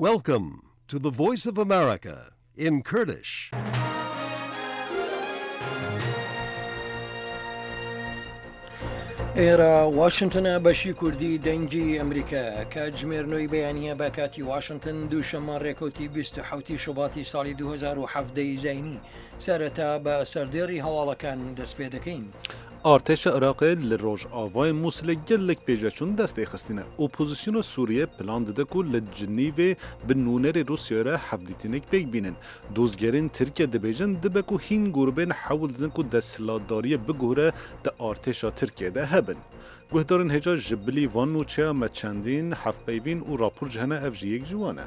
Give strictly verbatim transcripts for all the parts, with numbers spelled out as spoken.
Welcome to the Voice of America in Kurdish. ئێرە واشنتنە بەشی کوردی دەنگی ئەمریکا کاتژمێر نۆی بەیانیە بە کاتی واشنتن دووشەممە ڕێکەوتی بیست و حەوت ی شوباتی ساڵی دوو هەزار و حەڤدە ی زاینی سەرەتا بە سەردێڕی هەواڵەکان دەست پێ دەکەین. Artêşa Iraqê li rojavayê Mûsilê gelek pêşveçûn dest pê xistine. Opozisyona Sûriyê plan dide ku li Cinîvê bi nûnerê Rûsyayê re hevdîtinek pêk bînin. Dozgerên Tirkiye dibêjin dibe ku hîn grûbên hewl didin ku desthilatdariyê biguhere di artêşa Tirkiyê de hebin. Guhdarên hêja ji bilî van nûçeya me çendîn hevpeyvîn û rapor ji hene ev jî yek ji wan e.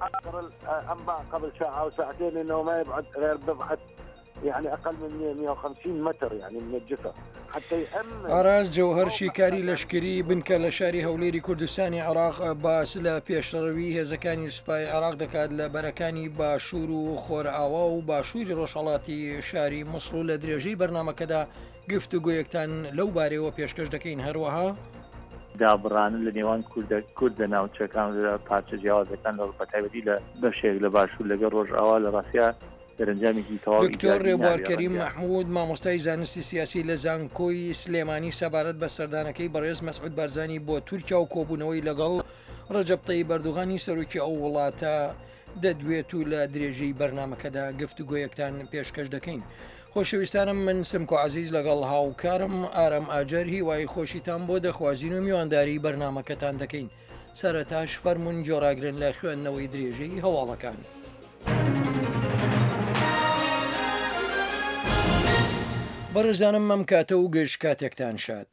آخر الأنباء قبل ساعة أو ساعتين إنه ما يبعد غير بضعة يعني أقل من مية وخمسين متر يعني من الجثة حتى يأمن ئاراس جەوهەر شیکاری لەشکری بنکە لە شاری هەولێری کوردستانی عێراق باس لە پێشڕەوی هێزەکانی سوپای عێراق دەکات لە بەرەکانی باشوور و خۆرئاوا و باشووری ڕۆژهەڵاتی شاری موسڵ و لە درێژەی بەرنامەکەدا گفتوگۆیەکتان لەو بارەیەوە پێشکەش دەکەین. هەروەها دابڕانە لە نێوان کوردە کورد لە ناوچەکان لە پارچە جیاوازەکان لە بەتایبەتی لە بەشێک لە باشوور لەگەڵ ڕۆژئاوا لە ڕاستیا دەرەنجامێکی تەواو دکتۆر ئیجابی ڕێبوار نابێ کەریم ڕەنگە. مەحموود مامۆستای زانستی سیاسی لە زانکۆی سلێمانی سەبارەت بە سەردانەکەی بەڕێز مەسعود بارزانی بۆ تورکیا و کۆبوونەوەی لەگەڵ ڕەجەب تەیب ئەردۆغانی سەرۆکی ئەو وڵاتە دەدوێت و لە درێژەی بەرنامەکەدا گفتوگۆیەکتان پێشکەش دەکەین. خۆشەویستانم من سمکۆ عەزیز لەگەڵ هاوکارم ئارام ئاجەر هیوای خۆشیتان بۆ دەخوازین و میوانداری بەرنامەکەتان دەکەین. سەرەتاش فەرمونون گۆڕاگرن لە خوێندنەوەی درێژەی هەواڵەکان. بەڕێزانم مەم کاتە و گشت کاتێکتان شاد.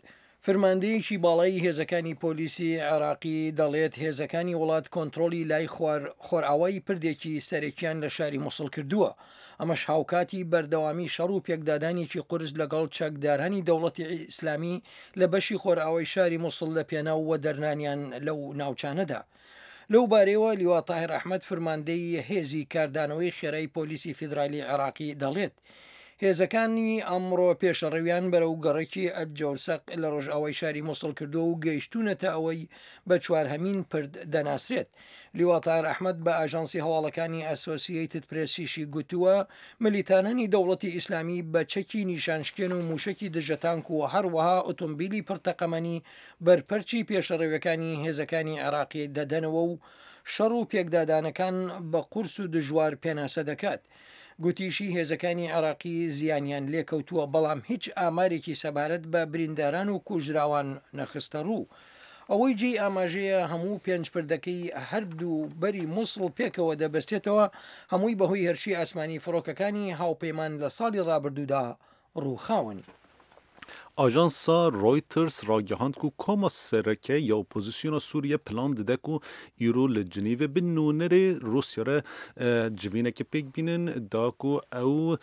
فرماندەیەکی باڵای هێزەکانی پۆلیسی عێراقی دەڵێت هێزەکانی وڵات کۆنترۆڵی لای خۆرئاوای پردێکی سەرەکیان لە شاری موسڵ کردووە. ئەمەش هاوکاتی بەردەوامی شەڕ و پێکدادانێکی قورس لەگەڵ چەکدارانی دەوڵەتی ئیسلامی لە بەشی خۆرئاوای شاری موسڵ لە پێناو وەدەرنانیان لەو ناوچانەدا. لەو بارەیەوە لیوا تاهر ئەحمەد فرماندەی هێزی کاردانەوەی خێرای پۆلیسی فیدرالی عێراقی دەڵێت هێزەکانی ئەمڕۆ پێشەڕەویان بەرەو گەڕەکی ئەلجەوسەق لە ڕۆژئاوای شاری موسڵ کردووە و گەیشتونەتە ئەوەی بە چوارهەمین پرد دەناسرێت. لیوا تاهر ئەحمەد بە ئاژانسی هەواڵەکانی ئەسۆسیەیتد پرێسیشی گوتووە ملیتانانی دەوڵەتی ئیسلامی بە چەکی نیشانشکێن و موشەکی دژەتانک و هەروەها ئۆتۆمبیلی پڕتەقەمەنی بەرپەرچی پێشەڕەویەکانی هێزەکانی عێراقی دەدەنەوە و شەڕ و پێکدادانەکان بە قورس و دژوار پێناسە دەکات. گوتیشی هێزەکانی عێراقی زیانیان لێکەوتووە بەڵام هیچ ئامارێکی سەبارەت بە برینداران و کوژراوان نەخستە ڕوو. ئەوەی جێی ئاماژەیە هەموو پێنج پردەکەی هەردوو بەری موسڵ پێکەوە دەبەستێتەوە، هەمووی بەهۆی هێرشی ئاسمانی فڕۆکەکانی هاوپەیمان لە ساڵی ڕابردوودا ڕووخاون. ئاژانسا ڕۆیتەرز ڕاگەهاند ku koma sereke ya opozisyona Sûriye plan dide ku îro li Cinîvê bi nûnerê Rûsya re civînekê pêk bînin da ku ew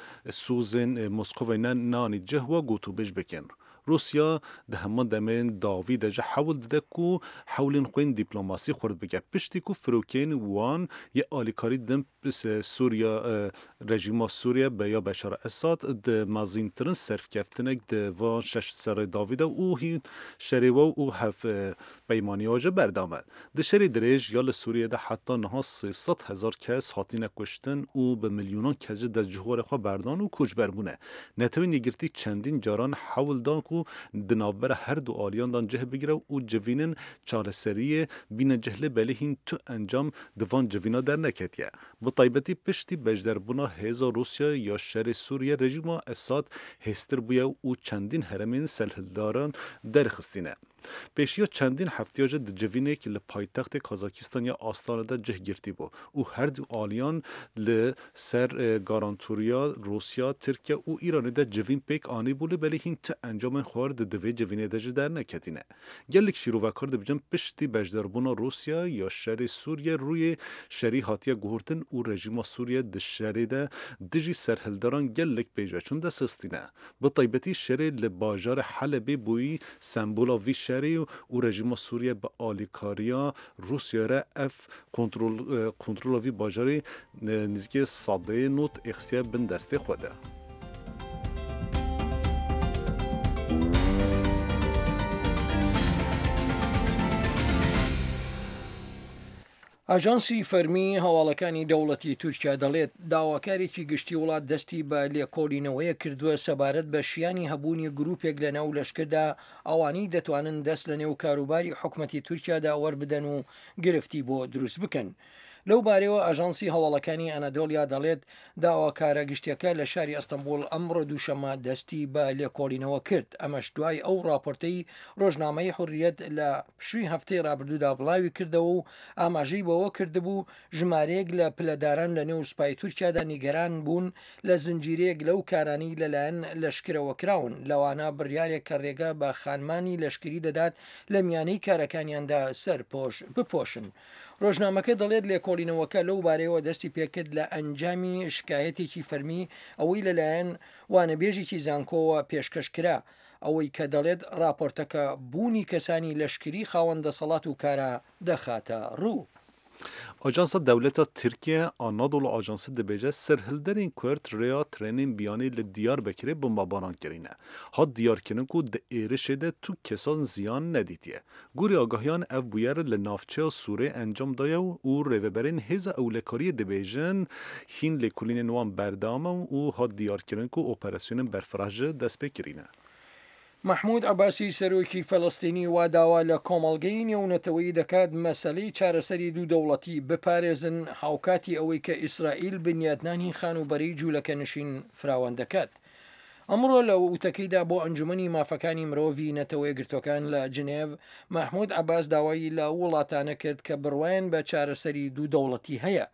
sozên Moskovayê ne neanî cih we gotûbêj bikin. Rûsya di heman demên dawî de ji hewl dide ku hewlên xwe yên dîplomasî xurt bike. Piştî ku firokên wan yê alîkarî didin Sûriya rejîma Sûriye be ya Beşar Esad di mezintirin serkeftinek di van şeş serê dawî de û hîn şerê we û hev peymaniya ji berdame. Di şerê dirêj ya li Sûriyê de heta niha sê sed hezar kes hatine kuştin û bi milyonan kes ji dest cihwarê xwe berdan û koçber bûne. Netewên Yekgirtî çendîn caran hewl dan ku di navbera her du aliyan dan cih bigire û civînin çareseriyê bîne cih lê belê hîn tu encam di van civîna derneketiye. Bi taybetî piştî beşdarbûna hêza Rûsya ya şerê Sûriye rejîma Esad hêztir bûye û çendîn herêmên serhildaran derxistîne. Pêşiya çendîn heftiya ji di civînek li paytextê Kazakistan ya Astana de cih girtî bû û her du aliyan li ser garantûriya Rûsya, Tirkiye û Îranê de civîn pêk anîbû lê belê hîn ti encamên xwe di divê civînê de ji derneketîne. Gelek şîrovekar dibêjin piştî beşdarbûna Rûsya ya şerê Sûriye rûyê şerî hatiye guhertin û rejîma Sûriye di şerê de dijî serhildaran gelek pêşveçûn destxistîne. Bi taybetî şerê li bajarê Helebê bûyî sembola vî şerê û rejîma Sûriye bi alîkariya Rûsyayê re ev kontrol kontrola vî bajarê nêzîkê sedê not êxsiye bin destê xwe de. ئاژانسی فەرمی هەواڵەکانی دەوڵەتی تورکیا دەڵێت، داواکارێکی گشتی وڵات دەستی بە لێکۆڵینەوەیەک کردووە سەبارەت بە شیانی هەبوونی گروپێک لە ناو لەشکردا ئەوانەی دەتوانن دەست لە نێو کاروباری حکومەتی تورکیادا وەربدەن و گرفتی بۆ دروست بکەن. لەو بارەیەوە ئاژانسی هەواڵەکانی ئەنادۆلیا دەڵێت، داواکارە گشتیەکە لە شاری ئەستەنبوڵ ئەمڕۆ دووشەممە دەستی بە لێکۆڵینەوە کرد، ئەمەش دوای ئەو ڕاپۆرتەی ڕۆژنامەی حوڕیەت لە پشووی هەفتەی ڕابردوودا بڵاوی کردەوە و ئاماژەی بەوە کردبوو ژمارەیەک لە پلەداران لە نێو سوپای تورکیادا نیگەران بوون لە زنجیرەیەک لەو کارانەی لەلایەن لەشکرەوە کراون، لەوانە بڕیارێک کە ڕێگە بە خانمانی لەشکری دەدات لە میانەی کارەکانیاندا سەرپۆش بپۆشن. ڕۆژنامەکە دەڵێت لێکۆڵینەوەکە لەو بارەیەوە دەستی پێکرد لە ئەنجامی شکایەتێکی فەرمی ئەوەی لەلایەن وانەبێژێکی زانکۆوە پێشکەش کرا، ئەوەی کە دەڵێت ڕاپۆرتەکە بوونی کەسانی لەشکری خاوەن دەسەڵات و کارا دەخاتە ڕوو. ئاژانسا دەولەتا Tirkiye Anadolu Ajansı dibêje serhilderên Kurd rêya trenên biyanî li Diyarbekirê bombebaran kirîne. Hat diyarkirin ku di êrişê de tu kesan ziyan nedîtiye. Gorî agahiyan ev bûyer li navçeya Sûrê encam daye û rêveberên hêza ewlekariyê dibêjin hîn lêkolînên wan berdewam e û hat diyarkirin ku operasyonên berfireh ji dest pê kirîne. مەحمود عەباسی سەرۆکی فەلەستینی وا داوا لە کۆمەڵگەی نێونەتەوەیی دەکات مەسەلەی چارەسەری دوو دەوڵەتی بپارێزن هاوکاتی ئەوەی کە ئیسرائیل بنیاتنانی خانووبەرەی جوولەکەنشین فراوان دەکات. ئەمڕۆ لە وتەکەیدا بۆ ئەنجومەنی مافەکانی مرۆڤی نەتەوەیەکگرتووەکان لە جنێڤ، مەحمود عەباس داوای لە وڵاتانە کرد کە بڕوایان بە چارەسەری دوو دەوڵەتی هەیە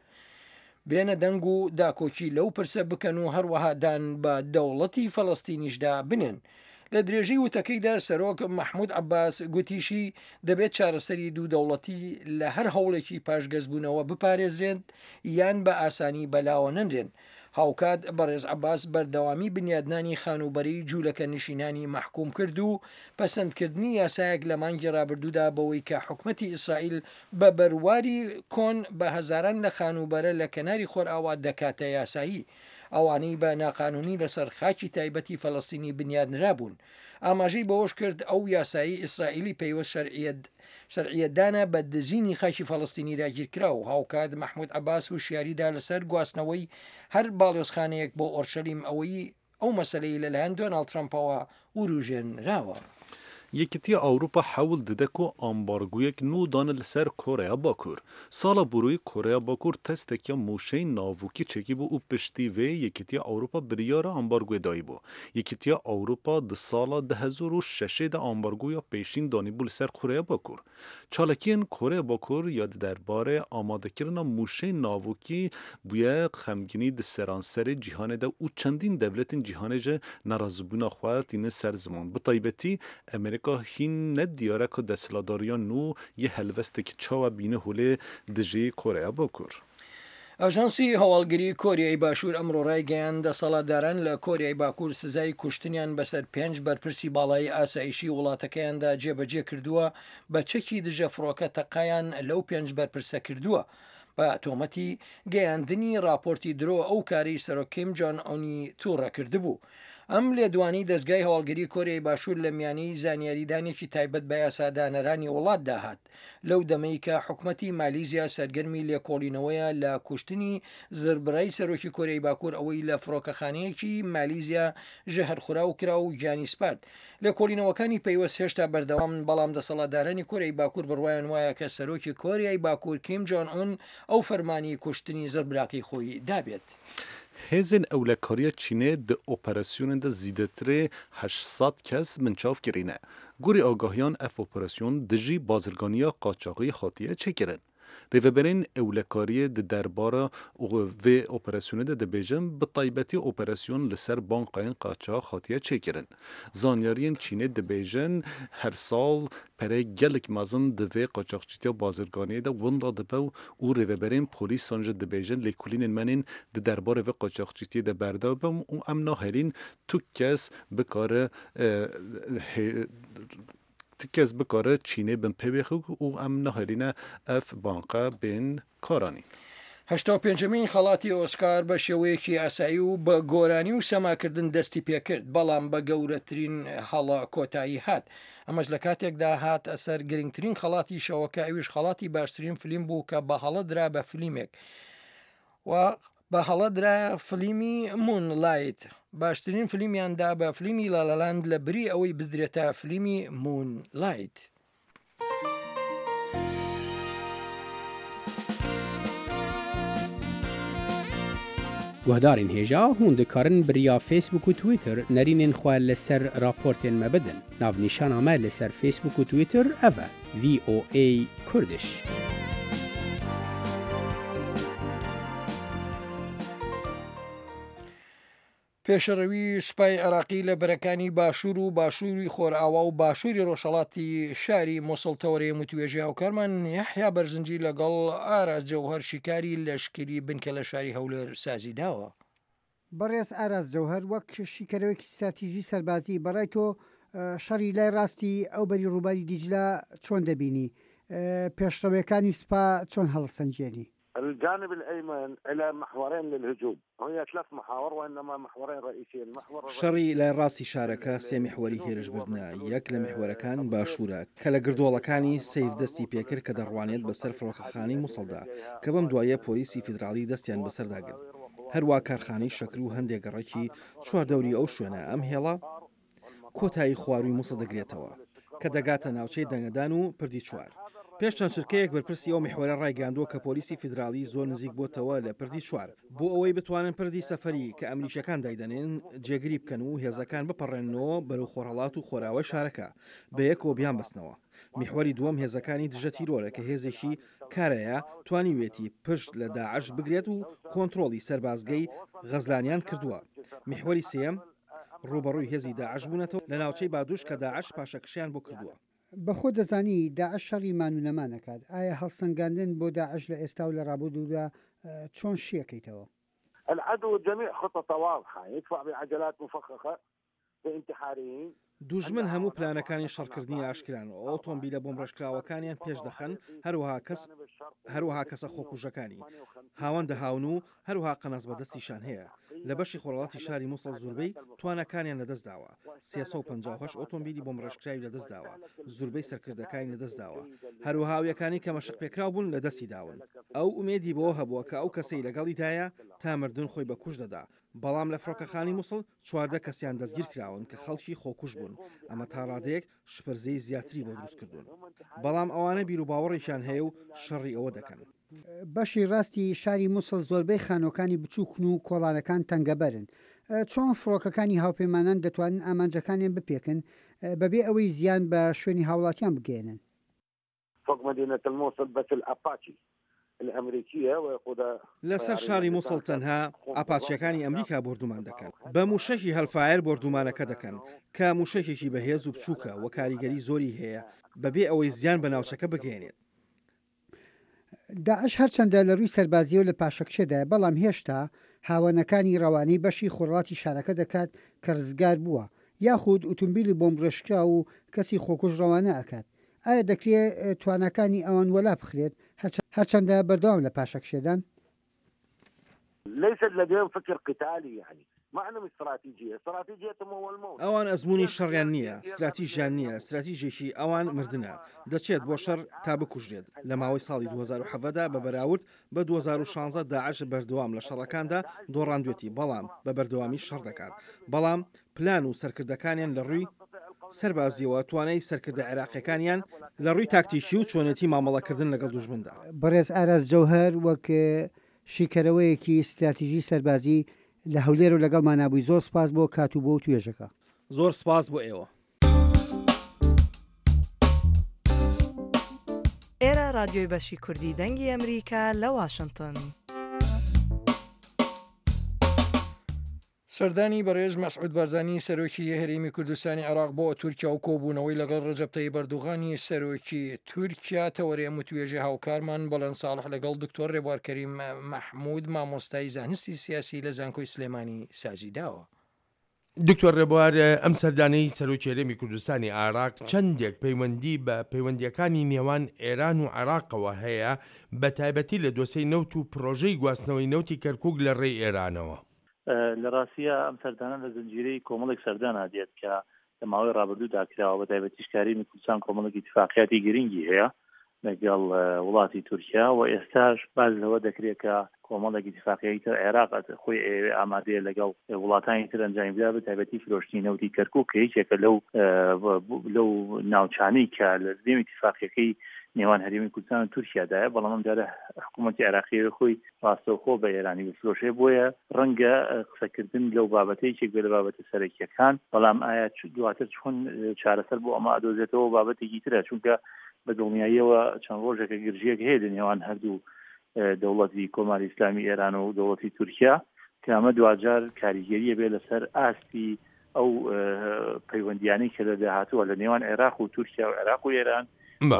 بێنە دەنگ و داکۆکی لەو پرسە بکەن و هەروەها دان بە دەوڵەتی فەلەستینیشدا بنێن. لە درێژەی وتەکەیدا سەرۆک مەحمود عەباس گوتیشی دەبێت چارەسەری دوو دەوڵەتی لە هەر هەوڵێکی پاشگەزبوونەوە بپارێزرێن یان بە ئاسانی بەلاوە نەنرێن. هاوکات بەڕێز عەباس بەردەوامی بنیادنانی خانووبەرەی جوولەکە نشینانی مەحکوم کرد و پەسەندکردنی یاسایەک لە مانگی ڕابردوودا بەوەی کە حکومەتی ئیسرائیل بە بەرواری کۆن بە هەزاران لە خانووبەرە لە کەناری خۆرئاوا دەکاتە یاسایی ئەوانەی بە ناقانونی لەسەر خاکی تایبەتی فەلەستینی بنیادنرابوون. ئاماژەی بەوەش کرد ئەو یاسایی ئیسرائیلی پەیوەست شەرعیەت شەرعیەتدانە بە دزینی خاکی فەلەستینی داگیرکراو. هاوکات مەحمود عەباس هوشیاریدا لەسەر گواستنەوەی هەر باڵیۆزخانەیەک بۆ ئۆرشەلیم ئەوەی ئەو مەسەلەی لەلایەن دۆناڵد ترەمپەوە وروژێنراوە. Yekîtiya Ewropa hewl dide ku ambargoyek nû dane li ser Koreya Bakur. Sala borî Koreya Bakur testekiya mûşeyên navokî çêkibû û piştî vê Yekîtiya Ewropa biryara ambargoyê dayîbû. Yekîtiya Ewropa di sala du hezar û şeşê de ambargoya pêşîn danîbû li ser Koreya Bakur. Çalakiyên Koreya Bakur ya di derbarê amadekirina mûşeyên navokî bûye xemgînî di seranserê cîhanê de û çendîn dewletên cîhanê ji nerazîbûna xwe tînin ser ziman. Bi taybetî Amerîka hîn ne diyar e ku desthilatdariya nû yê helwestekî çawa bîne holê dijî Koreya Bakur. ئاژانسی هەواڵگری کۆریای باشوور ئەمڕۆ ڕایگەیاند دەسەڵاتداران لە کۆریای باکوور سزای کوشتنیان بەسەر پێنج بەرپرسی باڵای ئاسایشی وڵاتەکەیاندا جێبەجێ کردووە بە چەکی دژە فڕۆکە تەقایان لەو پێنج بەرپرسە کردووە بە تۆمەتی گەیاندنی راپۆرتی درۆ ئەو کارەی سەرۆک کیم جۆن ئۆنی تووڕە کردبوو. ئەم لێدوانی دەستگای هەواڵگری کۆریای باشوور لە میانەی زانیاریدانێکی تایبەت بە یاسادانەرانی وڵاتدا هات لەو دەمەی کە حکومەتی مالیزیا سەرگەرمی لێکۆڵینەوەیە لە کوشتنی زربرای سەرۆکی کۆریای باکوور ئەوەی لە فڕۆکەخانەیەکی مالیزیا ژەهرخوراو کرا و گیانی سپارد. لێکۆڵینەوەکانی پەیوەست هێشتا بەردەوامن، بەڵام دەسەڵاتدارانی کۆریای باکوور بڕوایان وایە کە سەرۆکی کۆریای باکوور کیم جۆن ئون ئەو فەرمانی کوشتنی زربراکەی خۆی دابێت. Hêzên ewlekariya Çînê di operasyonên de zêdetirê heşt sed kes binçav kirîne. Gorî agahiyan ev operasyon dijî bazirganiya qaçaxî hatiye çêkirin. Rêveberên ewlekariyê di derbara vê operasyonê de dibêjin bi taybetî operasyon li ser bankayên qaçax hatiye çêkirin. Zanyariyên Çînê dibêjin her sal pereyek gelek mezin di vê qaçaxçîtiya bazirganiyê de winda dibe û rêveberên polîsan jî dibêjin lêkolînên me yên di derbarê vê qaçaxçîtiyê de berdewam û em nahêlîn tu kes bikare tu kes bikare Çînê bin pê bêxe û em nahêlîne ev banka bên karanîn. هەشتا و پێنجەمین خەڵاتی ئۆسکار بە شێوەیەکی ئاسایی و بە گۆرانی و سەماکردن دەستی پێکرد، بەڵام بە گەورەترین هەڵە کۆتایی هات. ئەمەش لە کاتێکدا هات ئەسەر گرنگترین خەڵاتی شەوەکە، ئەویش خەڵاتی باشترین فلیم بوو کە بە هەڵە درا بە فلیمێک و بە هەڵە درایە فلیمی مون لایت. باشترین فلیمیان دا بە فلیمی لالەلاند لە بری ئەوەی بدرێتە فلیمی مون لایت. Guhdarên hêja hûn dikarin bi riya Facebook û Twitter nerînên xwe li ser raportên me bidin. Navnîşana me li ser Facebook û Twitter ev e: V O A Kurdish. پێشڕەوی سوپای عێراقی لە بەرەکانی باشوور و باشووری خۆرئاوا و باشووری ڕۆژهەڵاتی شاری موسڵ تەوەرەی وتوێژی هاوکارمان یەحیا بەرزنجی لەگەڵ ئاراس جەوهەر شیکاری لەشکری بنکە لە شاری هەولێر سازی داوە. بەڕێز ئاراس جەوهەر، وەک شیکەرەوەیەکی ستراتیژی سەربازی، بەڕای تۆ شەڕی لای ڕاستی ئەو بەری ڕووباری دیجلە چۆن دەبینی؟ پێشڕەویەکانی سوپا چۆن هەڵسەنگێنی؟ الجانب الأيمن إلى محورين للهجوم، هي ثلاث محاور وإنما محورين رئيسيين. محور شەڕی لای ڕاستی شارەکە سێ میحوەری هێرشبردنە، یەک لە میحوەرەکان باشوورە کە لە گردۆڵەکانی سەیف دەستی پێکرد کە دەڕوانێت بەسەر فڕۆکەخانەی موسڵدا کە بەم دوایە پۆلیسی فیدراڵی دەستیان بەسەردا گرت، هەروە کارخانەی شەکر و هەندێک گەڕەکی چواردەوری ئەو شوێنە. ئەم هێڵە کۆتایی خواروی موسڵ دەگرێتەوە کە دەگاتە ناوچەی دەنگەدان و پردی چوار. پێش چەند چرکەیەک بەرپرسی ئەو میحوەرە ڕایگەیاندووە کە پۆلیسی فیدراڵی زۆر نزیک بۆتەوە لە پردی چوار بۆ ئەوەی بتوانن پردی سەفەری کە ئەمریکیەکان دایدەنێن جێگیری بکەن و هێزەکان بپەڕێننەوە بەرەو خۆرهەڵات و خۆراوای شارەکە بەیەکەوە بیانبەستنەوە. میحوەری دووەم هێزەکانی دژە تیرۆرە کە هێزێکی کارەیە توانیوێتی پشت لە داعش بگرێت و کۆنترۆڵی سەربازگەی غەزلانیان کردووە. میحوەری سێیەم ڕووبەڕووی هێزی داعش بوونەتەوە لە ناوچەی بادوش کە داعش پاشەکشیان بۆ کردووە. بەخۆ دەزانی داعش شەڕی مان و نەمان ئەکات، ئایا هەڵسەنگاندن بۆ داعش لە ئێستا و لە ڕابردوودا چۆن شیەکەیتەوە؟ العدو جميع خططه واضحة، يدفع بعجلات مفخخة بانتحاريين. دوژمن هەموو پلانەکانی شەڕکردنی ئاشکران و ئۆتۆمبیلە بۆمبڕێژکراوەکانیان پێش دەخەن، هەروەها کەس هەروەها کەسە خۆکوژەکانی هاوەن دەهاون و هەروەها قەناس بەدەستیشان هەیە. لە بەشی خۆرهەڵاتی شاری موسڵ زوربەی توانەکانیان لەدەستداوە، سێ سەد و پەنجا و هەشت ئۆتۆمبیلی بۆمبڕێژکراوی لەدەستداوە، زوربەی سەرکردەکانی لەدەستداوە، هەروەها ئەویەکانی کە مەشق پێکراو بوون لەدەستی داون. ئەو ئومێدی بەوە هەبووە کە ئەو کەسەی لەگەڵیدایە تا مردن خۆی بە کوش دەدا، بەڵام لە فڕۆکەخانەی موسڵ چواردە کەسیان دەستگیر کراون کە خەڵکی خۆکوش بوون. ئەمە تا ڕادەیەک شپرزەی زیاتری بۆ دروست کردوون، بەڵام ئەوانە بیروباوەڕێکیان هەیە و شەڕی ئەوە دەکەن. بەشی ڕاستی شاری موسڵ زۆربەی خانۆکانی بچووکن و کۆڵانەکان تەنگەبەرن. چۆن فڕۆکەکانی هاوپەیمانان دەتوانن ئامانجەکانیان بپێکن بەبێ ئەوەی زیان بە شوێنی هاوڵاتیان بگەێنن؟ فوق مدينة الموصل بس الأباتشي الأمريكية ويقودها لەسەر شاری موسڵ تەنها ئاپاچیەکانی ئەمریکا بۆردومان دەکەن، بە موشەکی هەلفایر بۆردومانەکە دەکەن کە موشەکێکی بەهێز و بچووکە و کاریگەری زۆری هەیە بەبێ ئەوەی زیان بە ناوچەکە بگەێنێت. داعش هەرچەندە لە ڕووی سەربازیەوە لە پاشەکشێدایە، بەڵام هێشتا هاوانەکانی ڕەوانەی بەشی خۆڕاتی شارەکە دەکات کە ڕزگار بووە، یاخود ئۆتۆمبیلی بۆمبڕێژکراو و کەسی خۆکوژ ڕەوانە ئەکات. ئایا دەکرێت تواناکانی ئەوان وەلا بخرێت هەرچەندە بەردەوام لە پاشەکشێدان؟ ليس لديهم فكر قتالي، يعني ما عندهم استراتيجية، استراتيجيتهم هو الموت. ئەوان ئەزمموی شەڕیان نییە، استراتیژیان نییە، استراتیژێکی ئەوان مردنە، دەچێت بۆ شەڕ تا بکوژرێت. لە ماوەی ساڵی دوو هەزار و حەڤدە بە بەراورد بە دوو هەزار و شانزە داعش بەردەوام لە شەڕەکاندا دۆڕاندوێتی، بەڵام بە بەردەوامی شەڕ دەکات. بەڵام پلان و سەرکردەکانیان لە ڕووی سەربازیەوە توانای سەرکردە عێراقیەکانیان لە ڕووی تاکتیکی و چۆنێتی مامەڵەکردن لەگەڵ دوژمندا. بەڕێز ئاراس جەوهەر وەک شیکەرەوەیەکی استراتیژی سەربازی لە هەولێر و لەگەڵمان نابووی، زۆر سپاس بۆ کات و بۆ توێژەکە. زۆر سپاس بۆ ئێوە. ئێرە رادیۆی بەشی کوردی دەنگی ئەمریکا لە واشنگتن. سەردانی بەڕێز مەسعود بارزانی سەرۆکی هەرێمی کوردستانی عێراق بۆ تورکیا و کۆبوونەوەی لەگەڵ ڕەجەب تەیب ئەردۆغانی سەرۆکی تورکیا تەوەرەی ئەم وتوێژی هاوکارمان بەڵێن ساڵح لەگەڵ دکتۆر ڕێبوار کەریم مەحمود مامۆستای زانستی سیاسی لە زانکۆی سلێمانی سازی داوە. دکتۆر ڕێبوار، ئەم سەردانەی سەرۆکی هەرێمی کوردستانی عێراق چەندێک پەیوەندی بە پەیوەندییەکانی نێوان ئێران و عێراقەوە هەیە، بەتایبەتی لە دۆسێی نەوت و پرۆژەی گواستنەوەی نەوتی کەرکووک لە ڕێی ئێرانەوە؟ لە ڕاستیا ئەم سەردانە لە زنجیرەی کۆمەڵێک سەردانا دێت کە لە ماوەی ڕابردوودا کراوە، بە تایبەتیش کە هەرێمی کوردستان کۆمەڵێک ئیتفاقیاتی گرنگی هەیە لەگەڵ وڵاتی تورکیا و ئێستاش باس لەوە دەکرێت کە کۆمەڵێک ئیتفاقیی تر عێراق خۆی ئەیەوێ ئامادەیە لەگەڵ وڵاتانی تر ئەنجامی بدا، بە تایبەتی فرۆشتنی نەوتی کەرکوک کە یەکێکە لەو لەو ناوچانەی کە لە نێو ئیتفاقیەکەی نێوان هەرێمی کوردستان و تورکیادایە، بەڵام ئەم جارە حکوومەتی عێراقی خۆی ڕاستەوخۆ بە ئێرانی بفرۆشێ، بۆیە ڕەنگە قسەکردن لەو بابەتە یەکێک بێ لە بابەتە سەرەکیەکان، بەڵام ئایا دواتر چۆن چارەسەر بۆ ئەمە ئەدۆزێتەوە بابەتێکی ترە، چونکە بە دڵنیاییەوە چەند ڕۆژێکە گرژیەک هەیە لە نێوان هەردوو دەوڵەتی کۆماری ئیسلامی ئێران و دەوڵەتی تورکیا کە ئەمە دواجار کاریگەریە بێ لەسەر ئاستی ئەو پەیوەندیانەی کە لە داهاتووە لە نێوان عێراق و تورکیا و عێراق و ئێران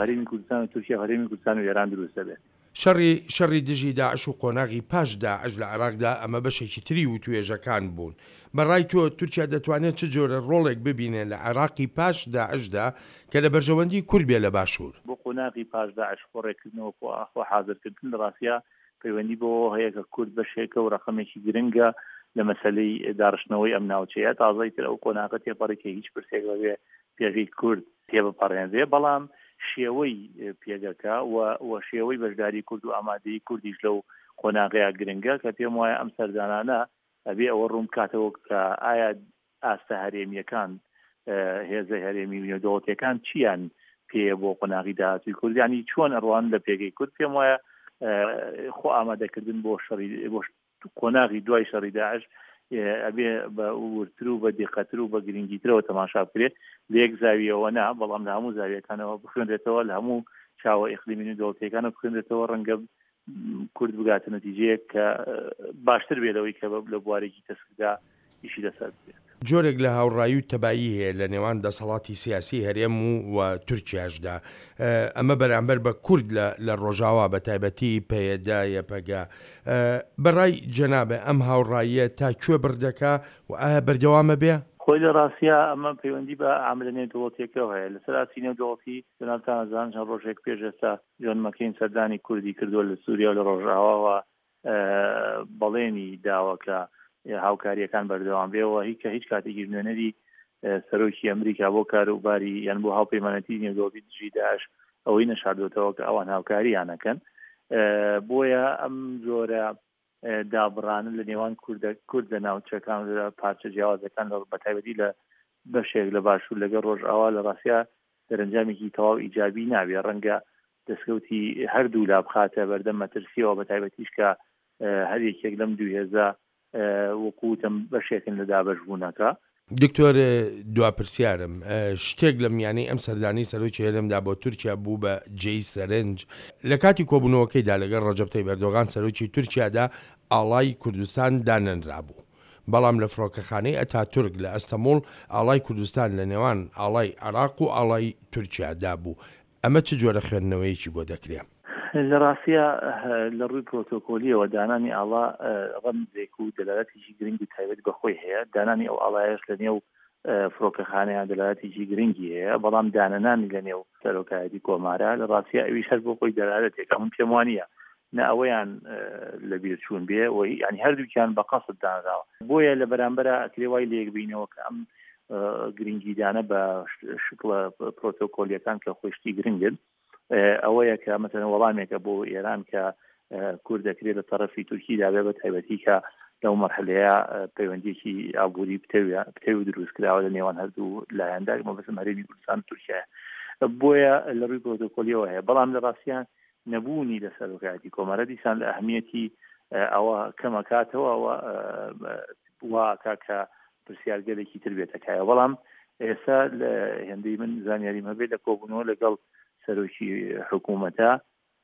هەرێمی کوردستان و تورکیا هەرێمی کوردستان و ئێران دروست دەبێت. شەڕی شەڕی دژی داعش و قۆناغی پاش داعش لە عێراقدا ئەمە بەشێکی تری وتوێژەکان بوون. بە ڕای تۆ تورکیا دەتوانێت چ جۆرە ڕۆڵێک ببینێ لە عێراقی پاش داعشدا کە لە بەرژەوەندی کورد بێ لە باشوور؟ بۆ قۆناغی پاش داعش خۆ ڕێککردنەوە خۆ حازرکردن لە ڕاستیا پەیوەندی بەوەوە هەیە کە کورد بەشێکە و ڕەقەمێکی گرنگە لە مەسەلەی داڕشتنەوەی ئەم ناوچەیە. تازەی تر ئەو قۆناغە تێپەڕی کە هیچ پرسێک بەبێ پێگەی کورد تێبپەڕێنرێ، بەڵام شێوەی پێگەکە و و شێوەی بەشداری کورد و ئامادەیی کوردیش لەو قۆناغەیە گرنگە کە پێم وایە ئەم سەردانانە ئەبێ ئەوە ڕوون بکاتەوە کە ئایا ئاستە هەرێمییەکان، هێزە هەرێمی و نێودەوڵەتییەکان چییان پێیە بۆ قۆناغی داهاتووی کورد، یانی چۆن ئەڕوانن لە پێگەی کورد. پێم وایە خۆ ئامادەکردن بۆ شەڕی بۆ قۆناغی دوای شەڕی داعش ئەبێ بە وردتر و بە دیقەتر و بە گرنگیترەوە تەماشا بکرێت، لە یەک زاویەوە نا، بەڵام لە هەموو زاویەکانەوە بخوێنرێتەوە، لە هەموو چاوە ئیقلیمی و دەوڵەتیەکانەوە بخوێنرێتەوە، ڕەنگە کورد بگاتە نەتیجەیەک کە باشتر بێ لەوەی کە لە بوارێکی تەسکدا ئیشی لەسەر بکرێت. جۆرێک لە هاوڕایی و تەبایی هەیە لە نێوان دەسەڵاتی سیاسی هەرێم و و تورکیاشدا، ئەمە بەرامبەر بە کورد لە لە ڕۆژاوا بە تایبەتی پەیەدە، یەپەگە. بە ڕای جەنابت ئەم هاوڕاییە تا کوێ بڕ دەکا و ئایا بەردەوام ئەبێ؟ خۆی لە ڕاستیا ئەمە پەیوەندی بە عاملە نێودەوڵەتییەکەوە هەیە. لەسەر ئاستی نێودەوڵەتی جەنابتان ئەزانن چەند ڕۆژێک پێش ئێستا جۆن مەکەین سەردانی کوردی کردووە لە سووریا و لە ڕۆژئاواوە بەڵێنی داوە کە هاوکارییەکان بەردەوام بێ و هیچ کە هیچ کاتێکیش نوێنەری سەرۆکی ئەمریکا بۆ کاروباری یان بۆ هاوپەیمانەتی نێودەوڵەتی دژی داعش ئەوەی نەشاردۆتەوە کە ئەوان هاوکارییان ئەکەن. بۆیە ئەم جۆرە دابڕانە لە نێوان کوردە کورد لە ناوچەکان لە پارچە جیاوازەکان لە بەتایبەتی لە بەشێک لە باشوور لەگەڵ ڕۆژئاوا لە ڕاستیا دەرەنجامێکی تەواو ئیجابی نابێ، ڕەنگە دەستکەوتی هەردوو لا بخاتە بەردەم مەترسیەوە، بە تایبەتیش کە هەر یەکێک لەم دوو هێزە وەکو وتم بەشێکن لە دابەشبوونەکە. دکتۆر دوا پرسیارم، شتێک لە میانەی ئەم سەردانەی سەرۆکی هەرێمدا بۆ تورکیا بوو بە جێی سەرنج، لە کاتی کۆبوونەوەکەیدا لەگەڵ ڕەجەب تەیب ئەردۆغان سەرۆکی تورکیادا ئاڵای کوردستان دانەنرابوو، بەڵام لە فڕۆکەخانەی ئەتاتورک لە ئەستەموڵ ئاڵای کوردستان لە نێوان ئاڵای عێراق و ئاڵای تورکیادا بوو، ئەمە چ جۆرە خوێندنەوەیەکی بۆ دەکرێ؟ لە ڕاستیا لە ڕووی پرۆتۆکۆلییەوە دانانی ئاڵا ڕەمزێک و دەلالەتێکی گرنگ و تایبەت بە خۆی هەیە، دانانی ئەو ئاڵایەش لە نێو فڕۆکەخانەیان دەلالەتێکی گرنگی هەیە، بەڵام دانەنانی لە نێو سەرۆکایەتی کۆمارە لە ڕاستیا ئەویش هەر بۆ خۆی دەلالەتێکە. من پێم وانییە نە ئەوەیان لە بیر چوون بێ و یانی هەردووکیان بە قەسد دانراوە، بۆیە لە بەرامبەرا ئەکرێ وای لێک بینەوە کە ئەم گرنگیدانە بە شکڵە پرۆتۆکۆلیەکان کە خۆی شتی گرنگن ئەوەیە کە مەسەلەن وەڵامێکە بۆ ئێران کە کورد دەکرێت لە تەرەفی تورکیدا بێ، بە تایبەتی کە لەو مەرحەلەیە پەیوەندیەکی ئابووری پتەوی و دروست کراوە لە نێوان هەردوو لایەندا، مەبەستم هەرێمی کوردستان و تورکیایە، بۆیە لە ڕووی پرۆتۆکۆلیەوە هەیە. بەڵام لە ڕاستیان نەبوونی لە سەرۆکایەتی کۆمارە دیسان لە ئەهمیەتی ئەوە کەمەکاتەوە وا ئەکا کە پرسیارگەلێکی تر بێتە کایەوە. بەڵام ئێستا لە هێندەی من زانیاریم هەبێت لە کۆبوونەوە لەگەڵ سەرۆکی حکوومەتە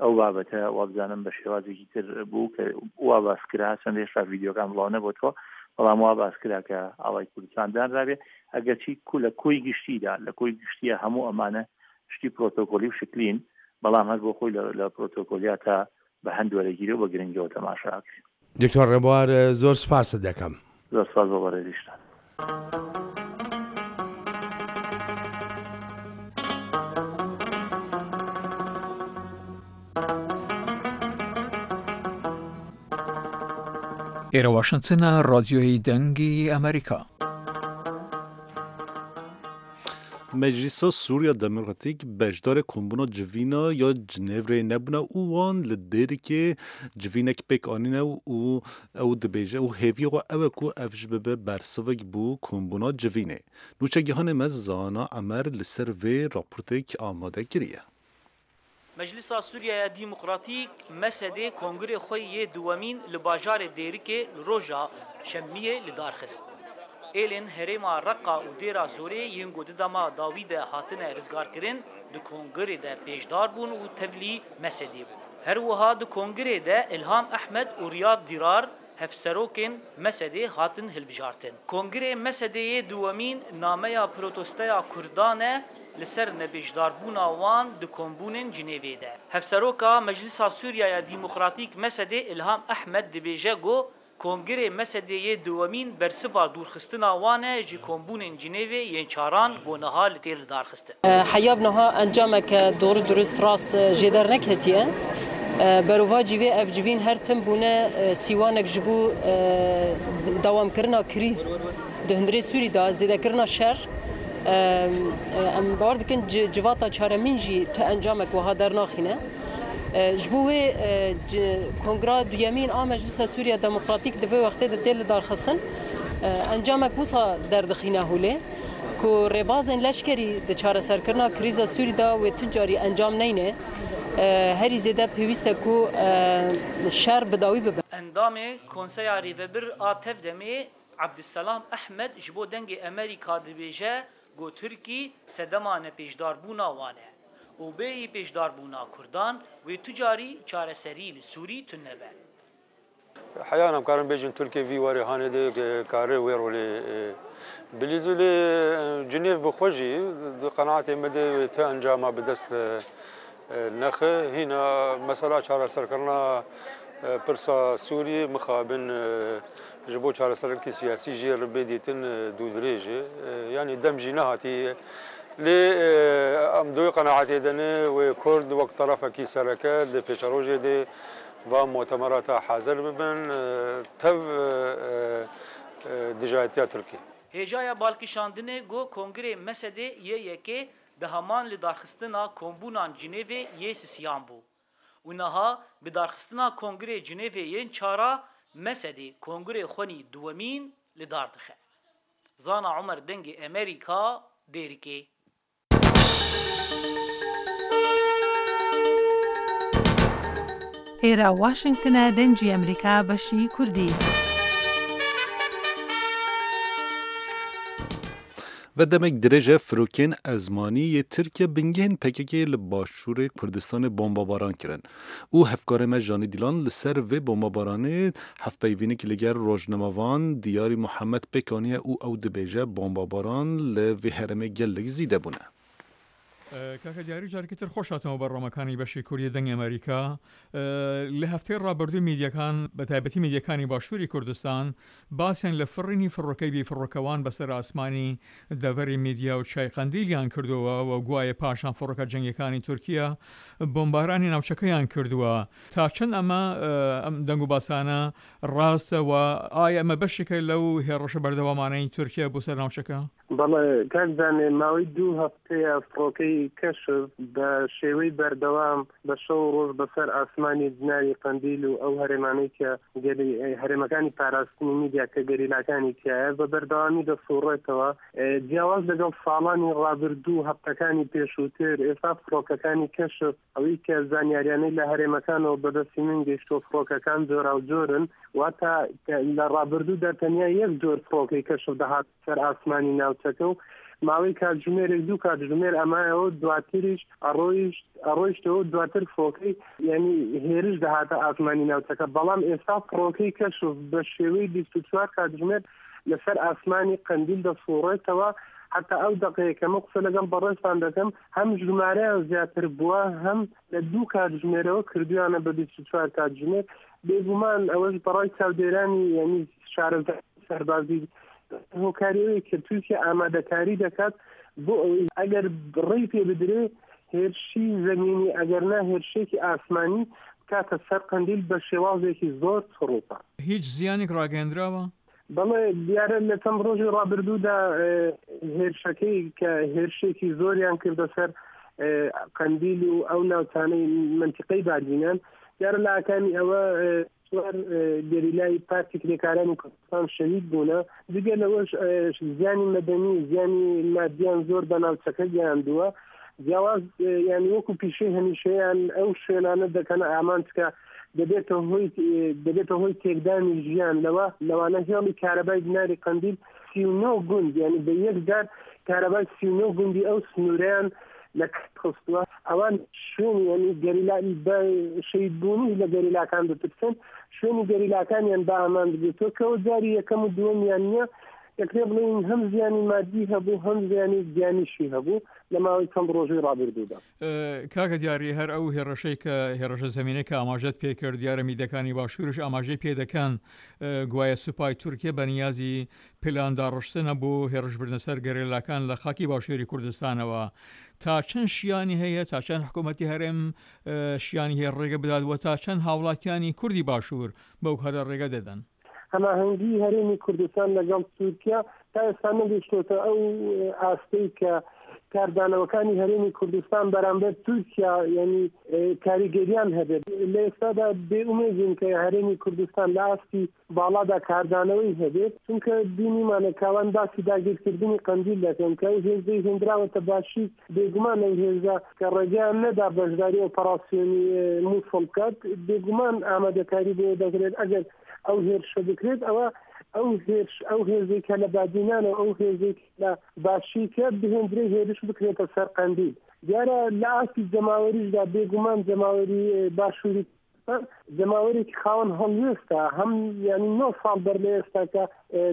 ئەو بابەتە وابزانم بە شێوازێکی تر بوو کە وا باس کرا، چەند هێشتا ڤیدیۆکان بڵاو نەبۆتەوە، بەڵام وا باس کرا کە ئاڵای کوردستان دانرابێ، ئەگەرچی کو لە کۆی گشتیدا لە کۆی گشتیە هەموو ئەمانە شتی پرۆتۆکۆلی و شکلین، بەڵام هەر بۆ خۆی لە پرۆتۆکۆلیاتا بە هەند وەرەگیرێ و بە گرنگیەوە تەماشا ئەکرێ. دکتۆر ڕێبوار زۆر سوپاست دەکەم. زۆر سوپاس بۆ بەڕێزیشتان. ئێرە واشنتنە، ڕادیۆی دەنگی ئەمریکا. Meclisa Sûriya Demokratîk beşdarê kombûna civîna ya Cinêvrê nebûne û wan li Dêrikê civînek pêk anîne û ew dibêje û hêviya xwe ew e ku ev ji bibe bersivek bû kombûna civînê. Nûçegihanê me Zana Emer li ser vê raportek amade kiriye. Meclisa Sûriyeya Demokratîk M S D kongirê xwe yê duwemîn li bajarê Dêrikê li roja Şemiyê li dar xist. Êlên herêma Reqa û Dêra Zorê yên ku di dema dawî de hatine rizgarkirin di kongirê de pêşdar bûn û tevlî M S D'ê bûn. Her wiha di kongirê de Îlham Ehmed û Riyad Dîrar hevserokên M S D'ê hatin hilbijartin. Kongirê M S D'ê yê duwemîn nameya protestoya Kurdan e li ser nebêjdarbûna wan di kombûnên Cinêvê de. Hevseroka Meclisa Sûriyeya Demokratîk M S D'ê Îlham Ehmed dibêje ku kongirê M S D'ê yê duwemîn bersiva dûrxistina wan e ji kombûnên Cinêvê yên çaran ku niha li tê lidarxistin. Heya niha encameke doğru durust rast jê derneketiye. Berovacî vê ev civîn her tim bûne sîwanek ji bo dewamkirina krîz di hundirê Sûrî de zêdekirina şer. Em bawer dikin civata çaremîn jî tu encamek wiha dernaxîne. Ji bo wê kongra duyemîn a Meclisa Sûriya Demokratîk di vê wextê de tê lidarxistin. Encamek wisa derdixîne holê ku rêbazên leşkerî di çareserkirina krîza Sûrî de wê tu carî encam neyne. Herî zêde pêwîst e ku şer bi dawî bibe. Endamê Konseya Rêvebir a Tev-Demê Ebdulselam Ehmed ji bo Dengê Amerîka dibêje ku Tirkî sedema nepêşdarbûna wan e û bêyî pêşdarbûna Kurdan wê tu carî çareserî li Sûrî tune be. Heya em karin bêjin Tirkiye vî warê hanê de kare wê rolê bilîzê lê Cinêv bi xwe jî di qenaetê me de wê tu encama bi dest nexe hîna mesela çareserkirina pirsa Sûriyê mixabin ji bo çareserkirina siyasî jê re bê dîtin dûdirêj e yanî dem jî nehatî lê em di wê qenaetê de ne wê Kurd wek terefekî sereke di pêşerojê de va mutemerata hazir bibin tev dijayetiya Tirkiyê. Hêjaya balkişandinê got Kongirê M S D'ê yê yekê di heman lidarxistina kombûnan Cinêvê yê sisiyan bû. Û niha bi darxistina Kongirê Cinêvê yên çara M S D'ê Kongirê xwenî duwemîn li dar dixe. Zana Umer Dengê Amerîka Dêrikê. ئێرە واشنگتنە دەنگی ئەمریکا بەشی کوردی. Ve demek dirêj e firokên ezmanî yê Tirkiye bingehên P K K li Başûrê Kurdistanê bombebaran kirin. Û hevkarê me Janî Dîlan li ser vê bombebaranê hevpeyvînek li gel rojnamevan Diyarî Muhammed pêk aniye û ew dibêje bombebaran li vê herêmê gelek zêde bûne. کاکە دیاری جارێکی تر خۆش هاتنەوە بەرنامەکانی بەشی کوردی دەنگی ئەمریکا. لە هەفتەی ڕابردوو میدیەکان بە تایبەتی میدیەکانی باشووری کوردستان باسیان لە فڕینی فڕۆکەی بێفڕۆکەوان بەسەر ئاسمانی دەڤەری میدیا و چیای قەندیلیان کردووە و گوایە پاشان فڕۆکە جەنگیەکانی تورکیا بۆمبارانی ناوچەکەیان کردووە. تا چەند ئەمە ئەم دەنگ و باسانە ڕاستە و ئایا ئەمە بەشێکە لەو هێڕەشە بەردەوامانەی تورکیا بۆ سەر ناوچەکە؟ بەڵێ کاک زانێ، ماوەی دوو هەفتەیە فڕۆکەی کەشف بە شێوەی بەردەوام بە شەو ڕۆژ بەسەر ئاسمانی بناری قەندیل و ئەو هەرێمانەی کە هەرێمەکانی پاراستنی میدیا کە گەریلاکانی تایە بە بەردەوامی دەسوڕێتەوە. جیاواز لەگەڵ ساڵانی ڕابردوو هەفتەکانی پێشووتر، ئێستا فڕۆکەکانی کەشف ئەوەی کە زانیاریانەی لە هەرێمەکانەوە بەدەستی من گەیشتووە فڕۆکەکان جۆراوجۆرن، واتە لە ڕابردوودا تەنیا یەک جۆر فڕۆکەی کەشف دەهات سەر ئاسمانی ناوچەکە و ماوەی کاتژمێرێک دوو کاتژمێر ئەمایەوە دواتریش ئەڕۆیشت ئەڕۆیشتەوە دواتر فڕۆکەی یعنی هێرش دەهاتە ئاسمانی ناوچەکە. بەڵام ئێستا فڕۆکەی کەشف بە شێوەی بیست و چوار کاتژمێر لەسەر ئاسمانی قەندیل دەسوڕێتەوە. حتا ئەو دقەیە کە من قسە لەگەڵ بەڕێزتان دەکەم هەم ژمارەیان زیاتر بووە هەم لە دوو کاتژمێرەوە کردویانە بە بیست و چوار کاتژمێر. بێگومان ئەوەش بەڕای چاودێرانی یعنی شارەزای سەربازی هۆکاری ئەوەیە کە تورکیا ئامادەکاری دەکات بۆ ئەوەی ئەگەر ڕێی پێ بدرێ هێرشی زەمینی ئەگەر نا هێرشێکی ئاسمانی بکاتە سەر قەندیل بە شێوازێکی زۆر چڕوپە. هیچ زیانێک ڕاگەیەندراوە؟ بەڵێ دیارە لە چەند ڕۆژی ڕابردوودا هێرشەکەی کە هێرشێکی زۆریان کردە سەر قەندیل و ئەو ناوچانەی منتیقەی بادینان، دیارە لە ئاکامی ئەوە چوار گەریلای پارتی کرێکارانی کوردستان شەهید بوونە. جگە لەوەش زیانی مەدەنی زیانی مادیان زۆر بە ناوچەکە گەیاندووە. جیاواز یعنی وەکو پیشەی هەمیشەیان ئەو شوێنانە دەکەنە ئامانج کە دەبێتە هۆی دەبێتە هۆی تێکدانی ژیان. لەوە لەوانە هێڵی کارەبای بناری قەندیل سی و نۆ گوند، یعنی بە یەک جار کارەبای سی و نۆ گوندی ئەو سنووریان لە خستووە. ئەوان شوێنی یعنی گەریلا بە شەهیدبوونی لە گەریلاکان دەترسن، شوێنی گەریلاکانیان بە ئامانج گرتووە کە ئەو جاری یەکەم و دووەمیان نییە. دەکرێت بڵێین هەم زیانی مادی هەبوو هەم زیانی گیانیشی هەبوو لە ماوەی چەند ڕۆژی ڕابردوودا. کاکە دیاری، هەر ئەو هێڕەشەی کە هێڕەشە زەمینەی کە ئاماژەت پێکرد، دیارە میدەکانی باشوورش ئاماژەی پێ دەکەن گوایە سوپای تورکیا بە نیازی پلان داڕشتنە بۆ هێڕشبردنە سەر گەریلاکان لە خاکی باشووری کوردستانەوە. تا چەند شیانی هەیە، تا چەند حکوومەتی هەرێم شیانی هەیە ڕێگە بدات و تا چەند هاوڵاتیانی کوردی باشوور بەو کارە ڕێگە دەدەن؟ هەماهەنگی هەرێمی کوردستان لەگەڵ تورکیا تا ئێستا نەگەیشتۆتە ئەو ئاستەی کە کاردانەوەکانی هەرێمی کوردستان بەرامبەر تورکیا یعنی کاریگەریان هەبێت. لە ئێستادا بێئومێدین کە هەرێمی کوردستان لە ئاستی باڵادا کاردانەوەی هەبێت، چونکە بینیمانە کاوان باسی داگیرکردنی قەندیل دەکەن کە ئەو هێزەی هێندراوەتە باشی، بێگومان ئەو هێزە کە ڕێگەیان نەدا بەشداری ئۆپەراسیۆنی مووسڵ بکات، بێگومان ئامادەکاری بۆ دەکرێت ئەگەر ئەو هێرشە بکرێت. ئەوە ئەو هێرش ئەو هێزێک کە لە بادینانە ئەو هێزێک لە باشی کە بهێندرێ هێرش بکرێتە سەر قەندیل. دیارە لە ئاستی جەماوەریشدا بێگومان جەماوەری باشووری جەماوەرێکی خاوەن هەڵوێستە، هەم یعنی نۆ ساڵ بەر لە ئێستا کە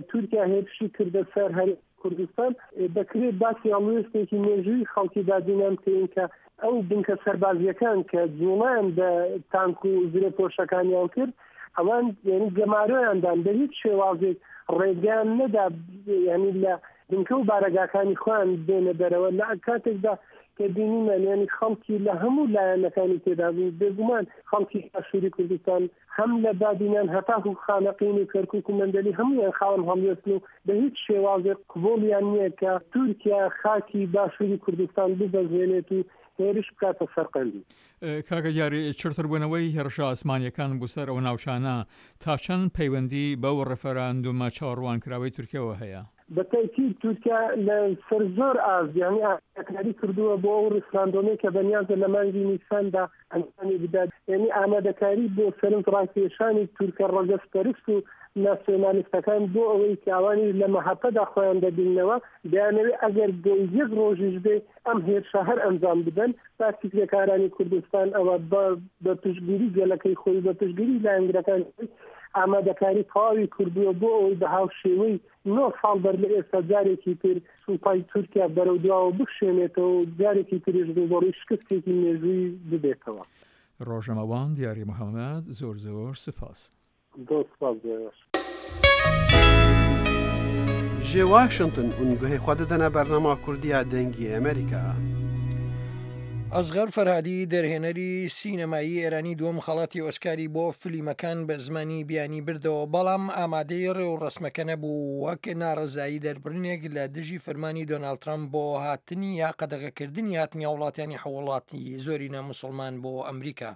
تورکیا هێرشی کردە سەر هەرێمی کوردستان، دەکرێت باسی هەڵوێستێکی مێژووی خەڵکی بادینان بکەین کە ئەو بنکە سەربازیەکان کە جوڵیان بە تانک و زرێپۆشەکانیان کرد، ئەوان یعنی گەمارۆیاندان بە هیچ شێوازێک ڕێگەیان نەدا یعنی لە بنکە و بارەگاکانی خۆیان بێنە دەرەوە. لە کاتێکدا کە بینیمان یعنی خەڵکی لە هەموو لایەنەکانی تێدا بوو، بێگومان خەڵکی باشووری کوردستان هەم لە بادینان هەتاکو خانەقین و کەرکوک و مەندەلی هەموویان خاوەن هەڵوێستن و بە هیچ شێوازێک قبوڵیان نییە کە تورکیا خاکی باشووری کوردستان ببەزێنێت و هێرش بکاتە سەر قەندیل. کاکە دیاری، چڕتربوونەوەی هێرشە ئاسمانیەکان بۆ سەر ئەو ناوچانە تا چەند پەیوەندی بەو ڕێفەراندومە چاوەڕوانکراوەی تورکیاوە هەیە؟ بە تەئکید تورکیا لە سەر زۆر ئاست یعنی ئامادەکاری کردووە بۆ ئەو ڕیفراندۆمەی کە بەنیازە لە مانگی نیساندا ئەنجامی بدات. یعنی ئامادەکاری بۆ سەرنج ڕاکێشانی تورکە ڕەگەزپەرست و ناسیۆنالیستەکان بۆ ئەوەی کە ئەوانیش لە مەهەپەدا خۆیان دەبیننەوە، دەیانەوێت ئەگەر بۆ یەک ڕۆژیش بێ ئەم هێرشە هەر ئەنجام بدەن. پارتی کرێکارانی کوردستان ئەوە بە پشتگیری گەلەکەی خۆی بە پشتگیری لایەنگرەکان ئامادەکاری تەواوی کردووە بۆ ئەوەی بە هاوشێوەی نۆ ساڵ بەر لە ئێستا جارێکی تر سوپای تورکیا بەرەو دواوە بکشێنێتەوە و جارێکی تریش ڕووبەڕووی شکستێکی مێژووی ببێتەوە. ڕۆژنامەوان دیاری محەممەد، زۆر زۆر سپاس. زۆر سپاس بۆ ئێوەش. Ji Washington hûn guhê xwe didine bernama Kurdiya Dengê Amerîka. ئەسغەر فەرهادی دەرهێنەری سینەمایی ئێرانی دووەم خەڵاتی ئۆسکاری بۆ فلیمەکان بە زمانی بیانی بردەوە، بەڵام ئامادەی ڕێوڕەسمەکە نەبوو وەک ناڕەزایی دەربڕینێک لە دژی فەرمانی دۆناڵد ترەمپ بۆ هاتنی یا قەدەغەکردنی هاتنی هاوڵاتیانی حوڵاتی زۆرینە مسلمان بۆ ئەمریکا.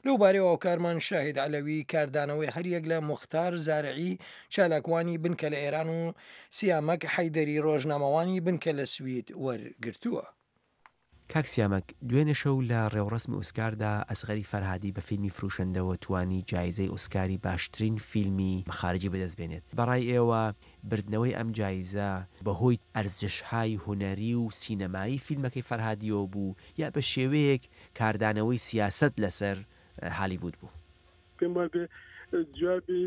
لەو بارەیەوە هاوکارمان شاهید عەلەوی کاردانەوەی هەریەک لە موختار زارعی چالاکوانی بنکە لە ئێران و سیامەک حەیدەری ڕۆژنامەوانی بنکە لە سوید وەرگرتووە. کاک سیامەک، دوێنێ شەو لە ڕێوڕەسمی ئۆسکاردا ئەسغەری فەرهادی بە فیلمی فروشەندەوە توانی جایزەی ئۆسکاری باشترین فیلمی خارجی بەدەست بێنێت. بەڕای ئێوە بردنەوەی ئەم جایزە بەهۆی ئەرزش‌های هونەری و سینەمایی فیلمەکەی فەرهادیەوە بوو یا بە شێوەیەک کاردانەوەی سیاسەت لەسەر هالیوود بوو؟ پێم وابێ جوابی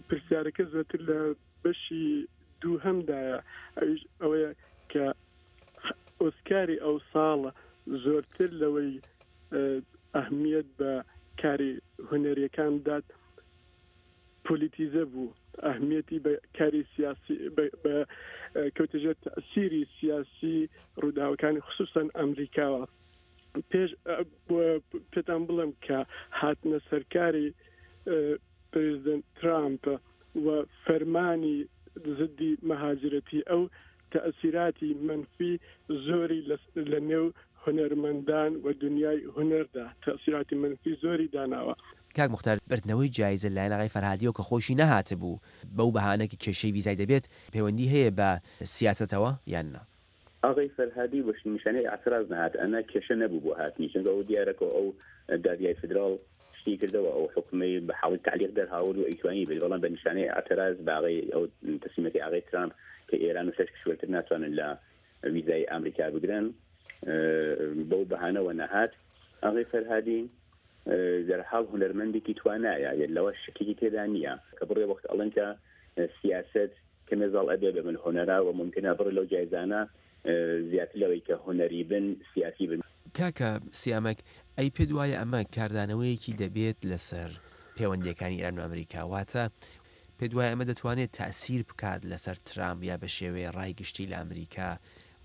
پرسیارەکە زۆرتر لە بەشی دووهەمدایە، ئەویش ئەوەیە کە ئۆسکاری ئەو ساڵە زۆرتر لەوەی ئەهمیەت بە کاری هونەریەکان دات، پۆلیتیزە بوو، ئەهمیەتی بە کاری سیاسی بە کەوتە ژێر تەئسیری سیاسی ڕووداوەکانی خصوصا ئەمریکاوە. پێش پێتان بڵێم کە هاتنە سەرکاری پرزیدنت ترامپ و فەرمانی زدی مەهاجرەتی ئەو تەئسیراتی مەنفی زۆری لە نێو هونەرمەندان و دنیای هونەردا تەئسیراتی مەنفی زۆری داناوە. کاک موختار، بردنەوەی جایزە لەلایەن ئاغای فەرهادیەوە کە خۆیشی نەهاتبوو بەو بەهانە کە کێشەی ڤیزای دەبێت، پەیوەندی هەیە بە سیاسەتەوە یان نا؟ ئاغای فەرهادی بە نیشانەی ئیعتراز نەهات، ئەنا کێشە نەبوو بۆ هاتنی، چونکە ئەو دیارە کە ئەو دادگای فیدراڵ شتی کردەوە، ئەو حوکمەی بە حاڵی تەعلیق دەرهاورد و ئەیتوانی بێت، بەڵام بە نیشانەی ئیعتراز بە ئاغای ئەو تەسلیمەکەی ئاغای ترامپ کە ئێران و شەش کشوەرتر ناتوانن لە ویزای ئەمریکا بگرن، بەو بەهانەوە نەهات. ئاغای فەرهادی دەرحاڵ هونەرمەندێکی توانایە، لەوە شکێکی تێدا نییە کە بڕێ وەخت ئەڵێن کە سیاسەت کەمێ زاڵ ئەبێ بە من هونەرا و ممکنە بڕێ لەو جایزانە زیاتر لەوەی کە هونەری بن سیاسی بن. کاکە سیامەک، ئەی پێت وایە ئەمە کاردانەوەیەکی دەبێت لەسەر پەیوەندییەکانی ئێران و ئەمریکا؟ واتە پێت وایە ئەمە دەتوانێت تاسیر بکات لەسەر ترامپ یا بە شێوەیە ڕای گشتی لە ئەمریکا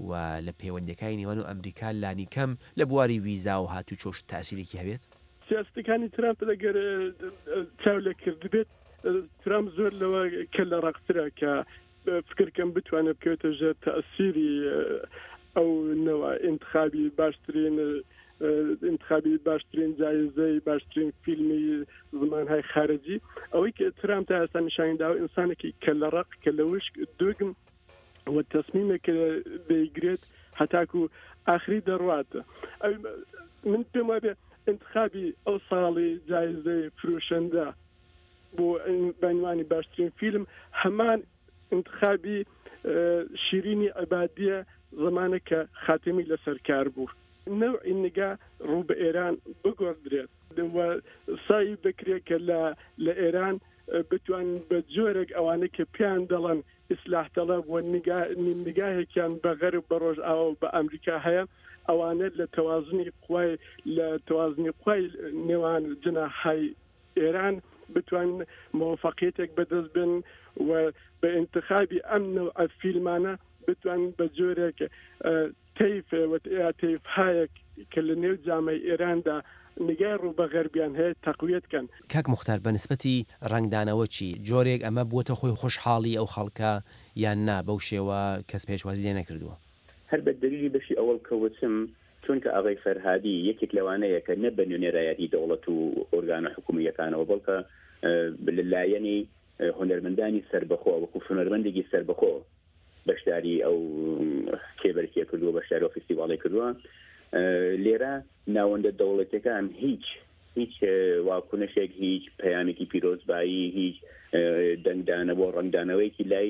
و لە پەیوەندییەکانی نێوان و ئەمریکا لانیکەم لە بواری ویزا و هاتوچۆش تاسیرێکی هەبێت؟ سیاسەتەکانی ترامپ ئەگەر چاو لێ کردبێت، ترامپ زۆر لەوە کە لە ڕەقترە کە فکرکەم بتوانێت بکەوێتە ژێر تەئسیری ئەو نەوە ئینتخابی باشترین انتخابی باشترین جایزەی باشترین فیلمی زمانهای خارجی. ئەوەی کە ترامپ تا ئێستا نیشانی داوە ئینسانێکی کە لە ڕق کە لە وشک دوگم و تەسمیمێک کە دەیگرێت هەتاکو ئاخری دەڕوات. من پێم وابێ انتخابی ئەو ساڵی جایزەی فرۆشەندە بۆ بەنوانی باشترین فیلم هەمان انتخابی شیرینی عبادیە زمانە کە خاتمی لەسەر کار بوو. نەوعی نگا ڕوو بە ئێران بگۆڕدرێت و سای بکرێت کە لە ئێران بتوان بە جۆرێک ئەوانەی کە پێیان دەڵێن ئیسلاح تەڵەب و نگاهێکیان بە غەرب بە ڕۆژئاوا و بە ئەمریکا هەیە، ئەوانە لە تەوازنی قوای لە تەوازنی قوای نێوان جناحای ئێران بتوان موافقیەتێک بەدەست بن و بە انتخابی ئەم نەوعە فیلمانە بتوان بە جۆرێک تەیف یا تەیفهایەک کە لە نێو جامەی ئێراندا نگای ڕوو بە غەربیان هەیە تەقویەت کەن. کاک موختار بە نسبەتی ڕەنگدانەوە چی؟ جۆرێک ئەمە بووەتە خۆی خۆشحاڵی ئەو خەڵکە یان نا بەو شێوە کەس پێشوازی لێ نەکردووە؟ هەر بە دەلیلی بەشی ئەوەڵ کە وتم چونکە ئاغای فەرهادی یەکێک لەوانەیە کە نە بە نوێنەرایەتی دەوڵەت و ئۆرگانە حکوومییەکانەوە بەڵکە لە لایەنی هونەرمەندانی سەربەخۆ وەکو هونەرمەندێکی سەربەخۆ بەشداری ئەو کێبەرکێ کردووە، بەشداری ئەو فستیواڵی کردووە. لێرە ناوەندە دەوڵەتەکان هیچ هیچ واکنشێک، هیچ پەیامێکی پیرۆزبایی، هیچ دەنگدانەوە ڕەنگدانەوەیەکی لای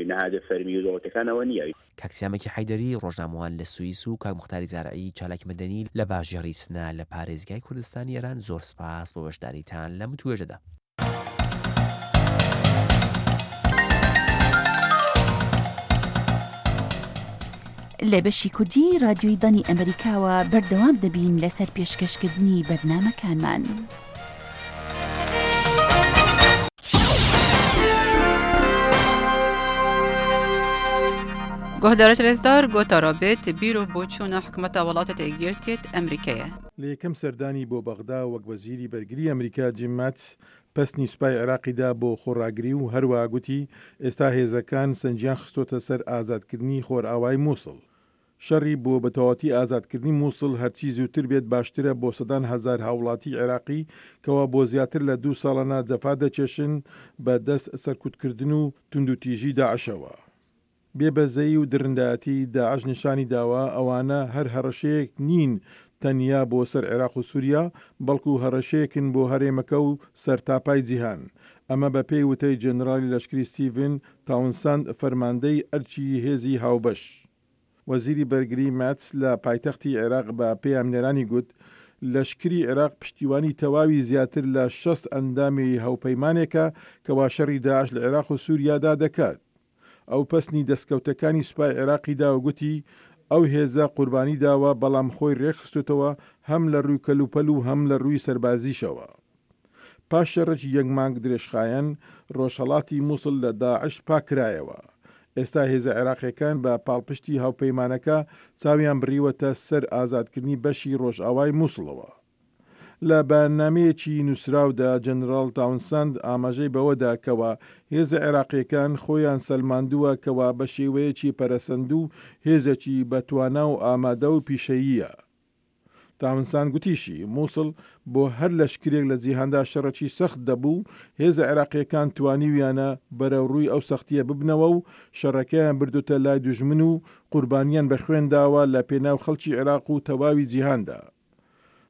نەهادە فەرمی و دەوڵەتەکانەوە نییە. کاک سیامەکی حەیدەری ڕۆژنامەوان لە سوئیس و کاک موختاری زارعی چالاکی مەدەنی لە باژێڕی سنە لە پارێزگای کوردستانی ئێران زۆر سپاس بۆ بەشداریتان لەم وتوێژەدا. لە بەشی کوردی رادیۆی دەنگی ئەمریکاوە بەردەوام دەبین لەسەر پێشکەشکردنی بەرنامەکانمان. گۆهدارت رێزدار گۆتارا بێت بیر و بۆچوونە حکومەتە وڵاتە یەکگرتیت ئەمریکایە. لە یەکەم سەردانی بۆ بەغدا وەک وەزیری بەرگری ئەمریکا جیم ماتس پەسنی سوپای عێراقیدا بۆ خۆڕاگری و هەروەها گوتی ئێستا هێزەکان سەنجیان خستۆتە سەر ئازادکردنی خۆرئاوای مووسڵ. شەڕی بۆ بەتەواوەتی ئازادکردنی مووسڵ هەرچی زووتر بێت باشترە بۆ سەدان هەزار هاوڵاتی عێراقی کەوا بۆ زیاتر لە دوو ساڵانە جەفا دەکێشن بە دەست سەرکوتکردن و توندوتیژی داعشەوە. بێبەزەیی و درندایەتی داعش نیشانی داوە ئەوانە هەر هەڕەشەیەک نین تەنیا بۆ سەر عێراق و سووریا، بەڵکو هەڕەشەیەکن بۆ هەرێمەکە و سەرتاپای جیهان. ئەمە بە پێی وتەی جەنراڵی لەشکری ستیڤن تاونساند فەرماندەی ئەرکی هێزی هاوبەش. وەزیری بەرگری ماتس لە پایتەختی عێراق بە پەیامنێرانی گوت، لەشکری عێراق پشتیوانی تەواوی زیاتر لە شەست ئەندامی هاوپەیمانێکە کەوا شەڕی داعش لە عێراق و سووریادا دەکات. ئەو پەسنی دەستکەوتەکانی سوپای عێراقی دا و گوتی، ئەو هێزە قوربانی داوە بەڵام خۆی رێکخستوتەوە هەم لە رووی کەلوپەل و هەم لە رووی سەربازیشەوە. پاش شەڕێکی یەک مانگ درێژخایەن، ڕۆژهەڵاتی موسڵ لە داعش پاککرایەوە. ئێستا هێزە عێراقییەکان بە پاڵپشتی هاوپەیمانەکە چاویان بڕیوەتە سەر ئازادکردنی بەشی ڕۆژئاوای موسڵەوە. لە بەیاننامەیەکی نووسراودا جەنراڵ تاونساند ئاماژەی بەوەدا کەوا هێزە عێراقییەکان خۆیان سەلماندووە کەوا بە شێوەیەکی پەرەسەندوو هێزێکی بەتوانا و ئامادە و پیشەییە. تاونساند گوتیشی، موسڵ بۆ هەر لەشکرێک لە جیهاندا شەڕێکی سەخت دەبوو، هێزە عێراقییەکان توانیویانە بەرەوڕووی ئەو سەختییە ببنەوە و شەڕەکەیان بردۆتە لای دوژمن و قوربانیان بە خوێن داوە لە پێناو خەڵکی عێراق و تەواوی جیهاندا.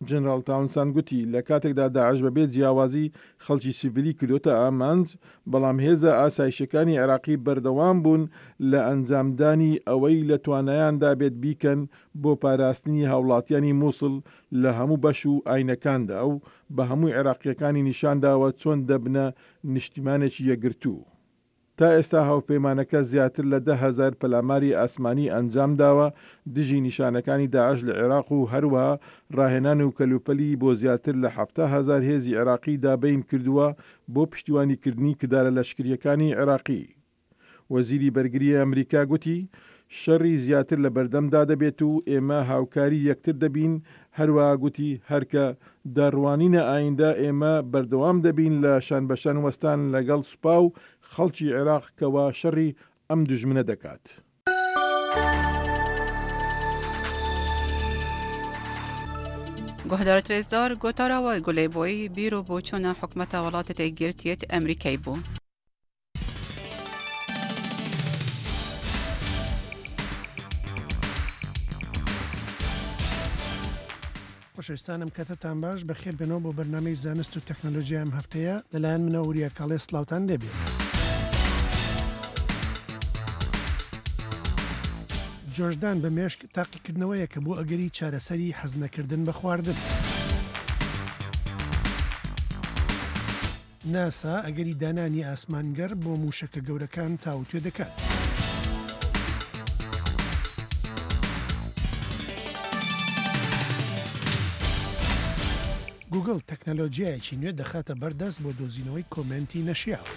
جەنراڵ تاونساند گوتی، لە کاتێکدا داعش بەبێ جیاوازی خەڵکی سیڤیلی کردۆتە ئامانج، بەڵام هێزە ئاسایشیەکانی عێراقی بەردەوام بوون لە ئەنجامدانی ئەوەی لە توانایاندا بێت بیکەن بۆ پاراستنی هاوڵاتیانی موسڵ لە هەموو بەش و ئاینەکاندا و بە هەموو عێراقییەکانی نیشانداوە چۆن دەبنە نیشتیمانێکی یەکگرتوو. تا ئێستا هاوپەیمانەکە زیاتر لە دە هەزار پەلاماری ئاسمانی ئەنجامداوە دژی نیشانەکانی داعش لە عێراق و هەروەها ڕاهێنان و کەلوپەلی بۆ زیاتر لە حەفتا هەزار هێزی عێراقی دابین کردووە بۆ پشتیوانیکردنی کردارە لەشکرییەکانی عێراقی. وەزیری بەرگریی ئەمریکا گوتی، شەڕی زیاتر لە بەردەمدا دەبێت و ئێمە هاوکاری یەکتر دەبین، هەروەها گوتی، هەرکە دەڕوانینە ئایندە ئێمە بەردەوام دەبین لە شانبەشان وەستان لەگەڵ سوپا و خەڵکی عێراق کەوا شەڕی ئەم دوژمنە دەکات. گوهدارت رێزدار گۆتارا وە گولەی بۆی بیر و بۆچوونە حکومەتە وڵاتت یەکگرتیت ئەمریکای بوو. خۆشەویستانم کاتتان باش، بەخێر بێنەوە بۆ بەرنامەی زانست و تەکنەلۆژیا ئەم هەفتەیە لەلایەن منەوە وریا کاڵێ سڵاوتان لێبێت. جۆشدان بە مێشک تاقیکردنەوەیەکە بۆ ئەگەری چارەسەری حەزنەکردن بە خواردن. ناسا ئەگەری دانانی ئاسمانگەڕ بۆ مووشەکە گەورەکان تاوتوێ دەکات. گوگڵ تەکنەلۆجیایەکی نوێ دەخاتە بەردەست بۆ دۆزینەوەی کۆمێنتی نەشیاو.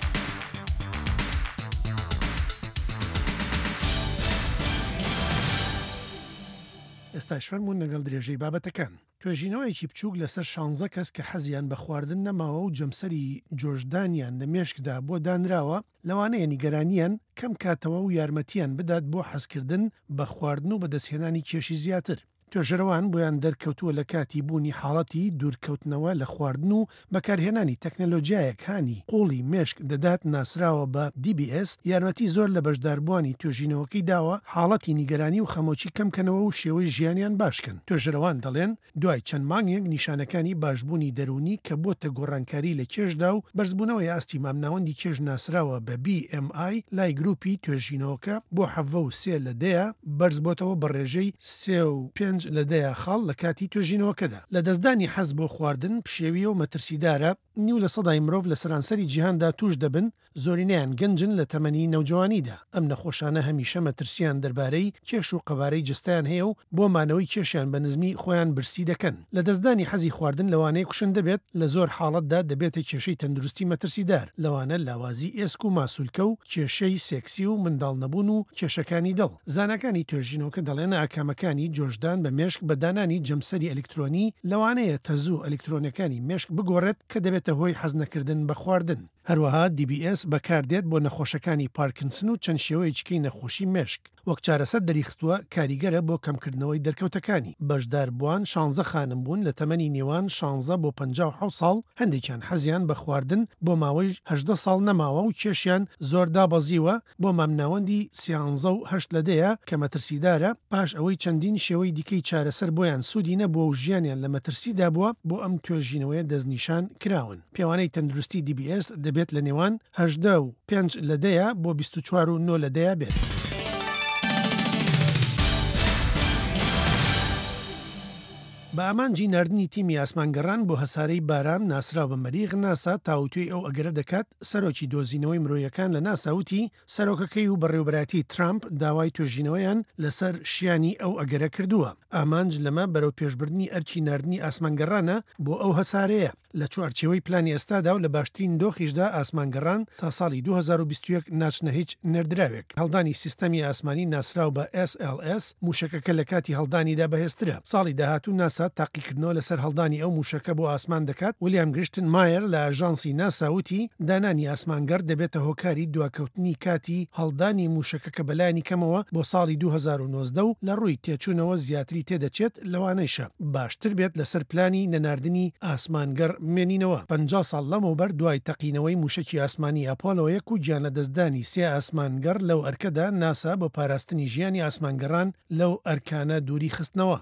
ئێستاش فەرموون لەگەڵ درێژەی بابەتەکان. توێژینەوەیەکی بچووک لەسەر شانزە کەس کە حەزیان بە خواردن نەماوە و جەمسەری جۆشدانیان لە مێشکدا بۆ دانراوە، لەوانەیە نیگەرانیان کەم کاتەوە و یارمەتیان بدات بۆ حەزکردن بە خواردن و بەدەستهێنانی کێشی زیاتر. توێژەرەوان بۆیان دەرکەوتووە لە کاتی بوونی حاڵەتی دوورکەوتنەوە لە خواردن و بەکارهێنانی تەکنەلۆجیایەک هانی قوڵی مێشک دەدات ناسراوە بە D B S یارمەتی زۆر لە بەشداربووانی توێژینەوەکەی داوە حاڵەتی نیگەرانی و خەمۆکی کەمکەنەوە و شێوەی ژیانیان باشکەن. توێژەرەوان دەڵێن دوای چەند مانگێک نیشانەکانی باشبوونی دەروونی کە بۆتە گۆڕانکاری لە کێشدا و بەرزبوونەوەی ئاستی مامناوەندی کێش ناسراوە بە B M I لای گروپی توێژینەوەکە بۆ حەڤە و سێ لە دەیە بەرزبۆتەوە بە ڕێژەی سێ و پێنج لە دەیە خاڵ لە کاتی توێژینەوەکەدا. لە دەستدانی حەز بۆ خواردن پشێویە و مەترسیدارە، نیو لە سەدای مرۆڤ لە سەرانسەری جیهاندا توش دەبن، زۆرینەیان گەنجن لە تەمەنی نەوجەوانیدا. ئەم نەخۆشانە هەمیشە مەترسیان دەربارەی کێش و قەبارەی جەستەیان هەیە و بۆ مانەوەی کێشیان بە نزمی خۆیان برسی دەکەن. لە دەستدانی حەزی خواردن لەوانەیە کوشندە بێت، لە زۆر حاڵەتدا دەبێتە کێشەی تەندروستی مەترسیدار، لەوانە لاوازی ئێسک و ماسولکە و کێشەی سێکسی و منداڵ نەبوون و کێشەکانی دڵ. زاناکانی توێژینەوەکە دەڵێن ئاکامەکانی جۆشدان بە مێشک بە دانانی جەمسەری ئەلکترۆنی لەوانەیە تەزوو ئەلکترۆنەکانی مێشک بگۆڕێت کە دەبێتە هۆی حەزنەکردن بە خواردن. هەروەها D B S بەکاردێت بۆ نەخۆشەکانی پارکنسن و چەند شێوەیەکی نەخۆشی مێشک. وەک چارەسەر دەریخستووە کاریگەرە بۆ کەمکردنەوەی دەرکەوتەکانی. بەشداربووان شانزە خانم بوون لە تەمەنی نێوان شانزە بۆ پەنجا و حەوت ساڵ، هەندێکیان حەزیان بە خواردن بۆ ماوەی هەژدە ساڵ نەماوە و کێشیان زۆر دابەزیوە بۆ مامناوەندی سیانزە و هەشت لە دەیە کە مەترسیدارە، پاش ئەوەی چەندین شێوەی دیکەی چارەسەر بۆیان سوودی نەبووە و ژیانیان لە مەترسیدا بووە بۆ ئەم توێژینەوەیە دەستنیشان کراون. پێوانەی تەندروستی D B S دەبێت لە نێوان هەژدە و پێنج لە دەیە بۆ بیست و چوار و نۆ لە دەیە بێت. بە ئامانجی ناردنی تیمی ئاسمانگەڕان بۆ هەسارەی بارام ناسراو بە مەریخ، ناسا تاوتوێی ئەو ئەگەرە دەکات. سەرۆکی دۆزینەوەی مرۆیەکان لە ناسا وتی سەرۆکەکەی و بەڕێوەبەرایەتی ترامپ داوای توێژینەوەیان لەسەر شیانی ئەو ئەگەرە کردووە. ئامانج لەمە بەرەو پێشبردنی ئەرکی ناردنی ئاسمانگەڕانە بۆ ئەو هەسارەیە. لە چوارچێوەی پلانی ئێستادا و لە باشترین دۆخیشدا ئاسمانگەڕان تا ساڵی دوو هەزار و بیست و یەک ناچنە هیچ نێردراوێک. هەڵدانی سیستەمی ئاسمانی ناسراو بە S L S موشەکەکە لە کاتی هەڵدانیدا بەهێزترە. ساڵی داهاتوو ناسا تاقیکردنەوە لەسەر هەڵدانی ئەو موشەکە بۆ ئاسمان دەکات. ویلیام گریشتن مایەر لە ئاژانسی ناسا وتی دانانی ئاسمانگەڕ دەبێتە هۆکاری دواکەوتنی کاتی هەڵدانی موشەکەکە بەلایەنی کەمەوە بۆ ساڵی دوو هەزار و نۆزدە و لە ڕووی تێچوونەوە زیاتری تێدەچێت، لەوانەیشە باشتر بێت لەسەر پلانی نەناردنی ئاسمانگەڕ بمێنینەوە. پەنجا ساڵ لەمەوبەر دوای تەقینەوەی موشەکی ئاسمانی ئەپۆلۆ یەک و گیانلەدەستدانی سێ ئاسمانگەڕ لەو ئەرکەدا، ناسا بۆ پاراستنی ژیانی ئاسمانگەڕان لەو ئەرکانە دووری خستنەوە.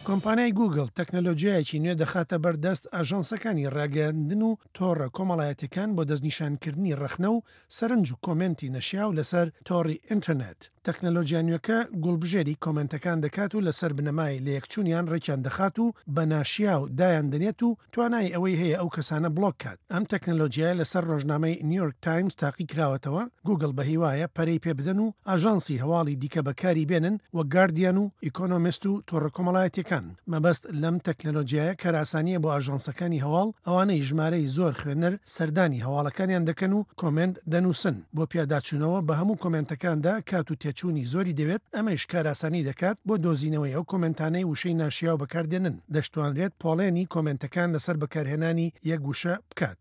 کۆمپانیای گوگڵ تەکنەلۆژیایەکی نوێ دەخاتە بەردەست ئاژانسەکانی ڕاگەیاندن و تۆڕە کۆمەڵایەتیەکان بۆ دەستنیشانکردنی ڕەخنە و سەرنج و کۆمێنتی نەشیاو لەسەر تۆڕی ئینتەرنێت. تەکنەلۆژیا نوێکە گوڵبژێری کۆمێنتەکان دەکات و لەسەر بنەمای لەیەکچوونیان ڕێکیان دەخات و بە ناشیاو دایان دەنێت و توانای ئەوەی هەیە ئەو کەسانە بڵۆک کات. ئەم تەکنەلۆژیایە لەسەر ڕۆژنامەی نیویۆرک تایمز تاقی کراوەتەوە. گوگڵ بە هیوایە پەرەی پێ بدەن و ئاژانسی هەواڵی دیکە بەکاری بێنن وەک گاردیان و ئیکۆنۆمیست و تۆڕە کۆمەڵایەتیەکان. مەبەست لەم تەکنەلۆژیایە کارئاسانیە بۆ ئاژانسەکانی هەواڵ، ئەوانەی ژمارەی زۆر خوێنەر سەردانی هەواڵەکانیان دەکەن و کۆمێنت دەنووسن. بۆ پیاداچوونەوە بە هەموو کۆمێنتەکاندا کات و تێچوونی زۆری دەوێت، ئەمەش کارئاسانی دەکات بۆ دۆزینەوەی ئەو کۆمێنتانەی وشەی ناشیاو بەکاردێنن. دەشتوانرێت پۆڵێنی کۆمێنتەکان لەسەر بەکارهێنانی یەک وشە بکات.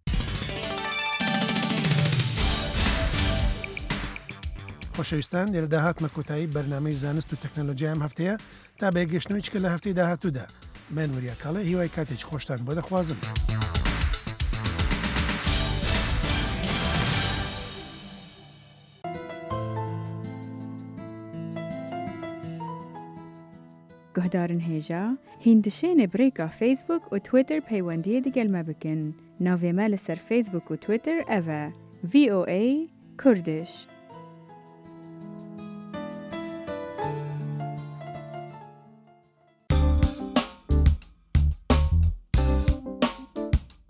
خۆشەویستان، لێرەدا هاتمە کۆتایی بەرنامەی زانست و تەکنەلۆژیای ئەم هەفتەیە. تا بەیەکگەشتنەوەی چکە لە هەفتەی داهاتوودا، من وریا کاڵێ هیوای کاتێکی خۆشتان بۆ دەخوازم. Guhdarên hêja, hîn dişêne bi rêka Facebook û Twitter peywendiyê digel me bikin. Navê me li ser Facebook û Twitter ev e: V O A Kurdish.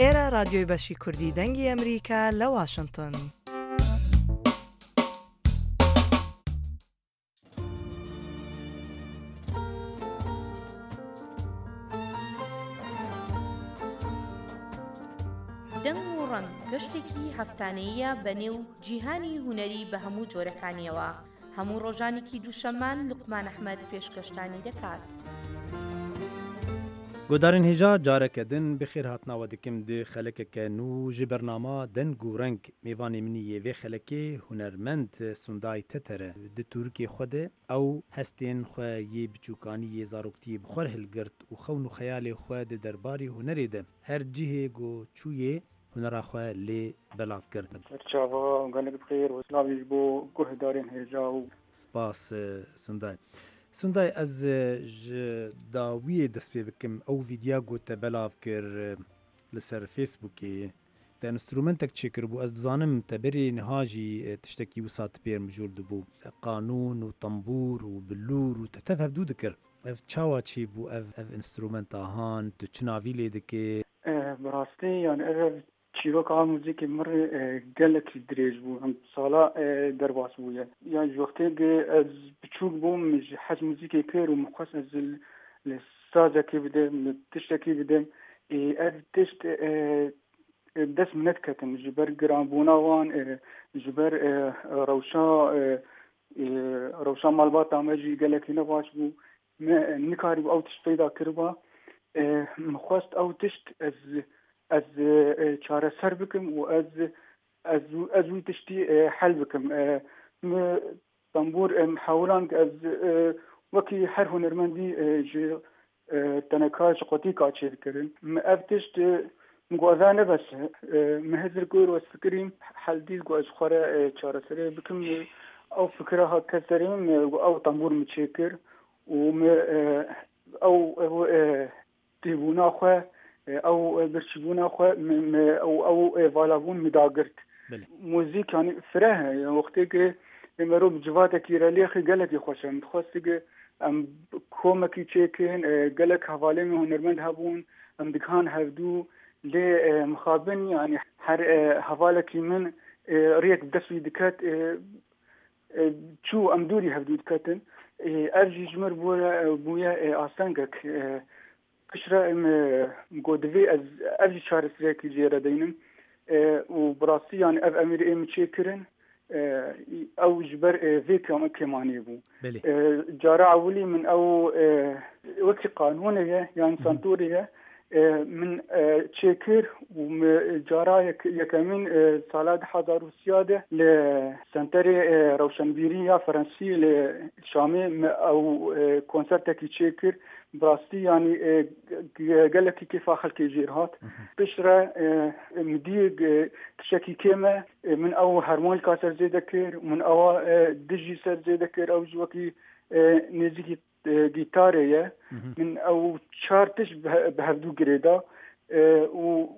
ئێرە رادیۆی بەشی کوردی دەنگی ئەمریکا لە واشنگتن. دەنگ و ڕەنگ گەشتێکی هەفتانەیە بە نێو جیهانی هونەری بە هەموو جۆرەکانیەوە. هەموو ڕۆژانێکی دووشەممان لوقمان ئەحمەد پێشکەشتانی دەکات. گۆدارên hêja careke din bi xêr hatinawe dikim di xelekeke nû ji bernama deng û reng. Mêvanê minî yê vê xelekê hunermend Sunday Teter e. Di Turkê xwe de ew hestên xwe yê biçûkanî yê zaroktiyê bi xwe hilgirt û xewn û xeyalê xwe di derbarê hunerê de her cihê got çûyê hunera xwe lê belav kir. Çava gelek bi xêr û silavê ji bo guhdarên hêja û Spas Sunday. Sunday ez ji dawiyê dest pê bikim. Ew vîdya got te belav kir li ser Facebookê. Te enstrümentek çêkiribû. Ez dizanim te berê niha jî tiştekî wisa te pêr mijûl dibû. Qanûn û tembûr û bilûr û te tev hevdû dikir. Ev çawa çêbû ev ev enstrümenta han tu çi navî lê dikê? Bi rastî yani ev çîroka muzîkê min re gelekî dirêj bû, hem sala derbas bûye. Yani ji wextê ez biçûk bûm min ji hez muzîkê kir û min xwest ez li sazekê bidim, li tiştekî bidim. Ev tişt dest min nediketin ji ber giranbûna wan, ji ber rewşa rewşa malbata me jî gelekî ne baş bû. Me nikarîbû ew tişt peyda kiriba. Min xwest ew tişt ez ez çareser bikim û ez ez ez wî tiştî hel bikim. Me tembûr hewilan ez wekî her hunermendî ji teneka ji qotîka çêdikirin. Me ev tişt min got ev ne bes e. Me hizir kir û ez fikirîm hel dît got ez xwe re çareserê bikim. Ew fikira hat kes serê min ew tembûr min çêkir û me ew ew têbûna xwe ew birçîbûna xwe ew ew valabûn min dagirt. Muzîk yani fireh e. Wextê ki مرۆڤ جڤاتێکی رە لێخی gelekî xweş e. Min dixwest em komekî çêkin, gelek hevalên min hunermend hebûn, em digihan hevdû lê mixabin yani her hevalekî min rêyek bi dest wî diket çû em dûrî hevdû diketin. Ev jî ji min bûye astengek. Piştre em got divê ez ev jî çareseriyekî jê re deynim û bi rastî yani ev emîr ê min çêkirin ew ji ber vê kêmaniyê bû. Cara ewilî min ew wekî qanûnê ye yan santûrê ye min çêkir û min cara yekemîn sala du hezar û sîya de li senterê rewşenbîrî ya Fransî li Şamê me ew konsertekî çêkir. Bi rastî yanî gelekî kêfa xelkê jêr hat. Piştre min dî tiştekî kêm e, min ew harmonîka ser zêde kir, min ewa dijî ser zêde kir, ew jî wekî nêzîkî gîtarê ye. Min ew çar tişt bi hevdû girêda û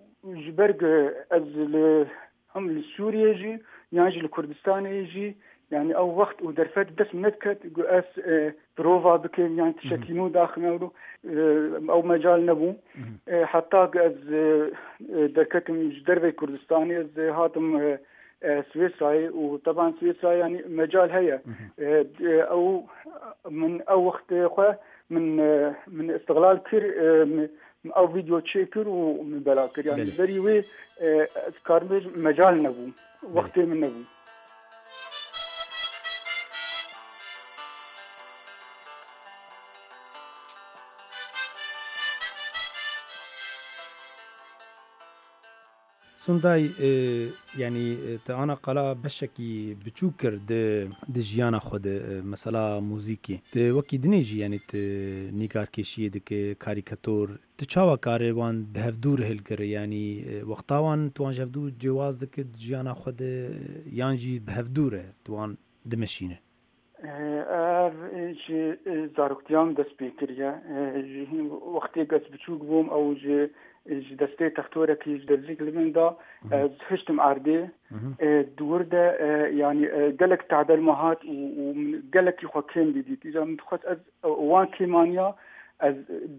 ji ber ez li hem li Sûriyê jî yan jî li Kurdistanê jî yani ew wext û derfet dest min nediket ku ez prova bikim yan tiştekî nû daxime ew mecal nebû. Heta ku ez derketim ji derveyê Kurdistanê ez hatim Swîsrayê û teban Swîsrayê yani mecal heye. Ew min ew wextê xwe min min istiglal kir, ew vîdeo çêkir û min belav kir. Yani berî wê ez karim bêjim mecal nebû, wextê min nebû. Sunday yani te ana qala beşekî biçûk kir di di jiyana xwe de mesela muzîkê. Te wekî dinê jî yani te nîgarkêşiyê dike, karîkator. Te çawa karê wan bi hevdû re hilgire yani wexta wan tu wan ji hevdû cewaz dike di jiyana xwe de yan jî bi hevdû re tu wan dimeşîne? Ev ji zaroktiyan dest pê kiriye. Ji hîn wextê ez biçûk bûm ew ji ji destê textorekî ji derzîk li min da ez hiştim erdê. Di wir de yani gelek tadel me hat û min gelekî xwe kêm didît. Îcar min dixwest ez wan kêmaniya ez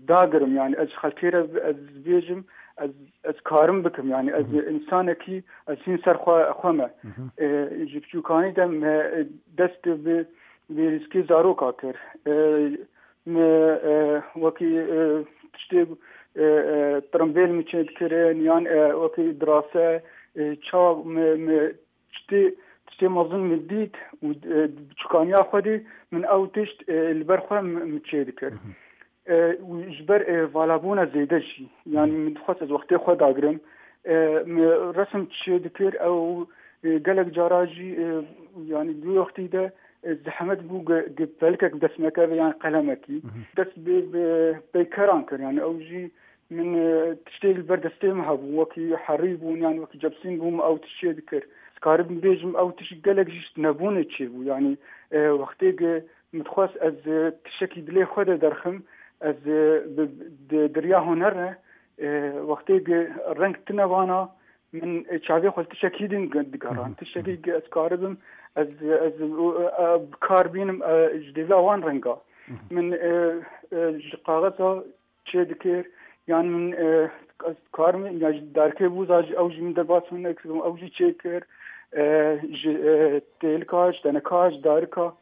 dagirim yani ez ji xelkê re ez bêjim ez ez karim bikim yani ez insanekî ez hîn ser xwe xwe me. Ji biçûkanî de me dest bi bi rîskê zaroka kir. Me wekî tiştê tirimbêl min çê dikirin yan wekî dirase çawa me me tiştê tiştê mezin min dît û biçûkaniya xwe de min ew tişt li ber xwe min çê dikir. Ji ber valabûna zêde jî yani min dixwest ez wextê xwe dagirim min resim çê dikir ew gelek cara jî yani du wextî de zehmet bû pelikek bi dest me keve yan qelemekî dest bi peykeran kir yani ew jî min tiştê li ber destê min hebû wekî herî bûn yan wekî cebsîn bûm ew tişt çê dikir. Ez karibim bêjim ew tişt gelek jî nebûnê çêbû yani wextê min dixwest ez tiştekî dilê xwe de derxim ez di riya huner re wextê reng tune vana min çavê xwe li tiştekî din digeran tiştekî ez karibim ez ez kar bînim ji dêvla wan renga min ji qaxeza çê dikir yan min ez karim ya ji darkê bûza ji ew jî min derbas hinek ew jî çê kir ji têlika ji teneka ji darika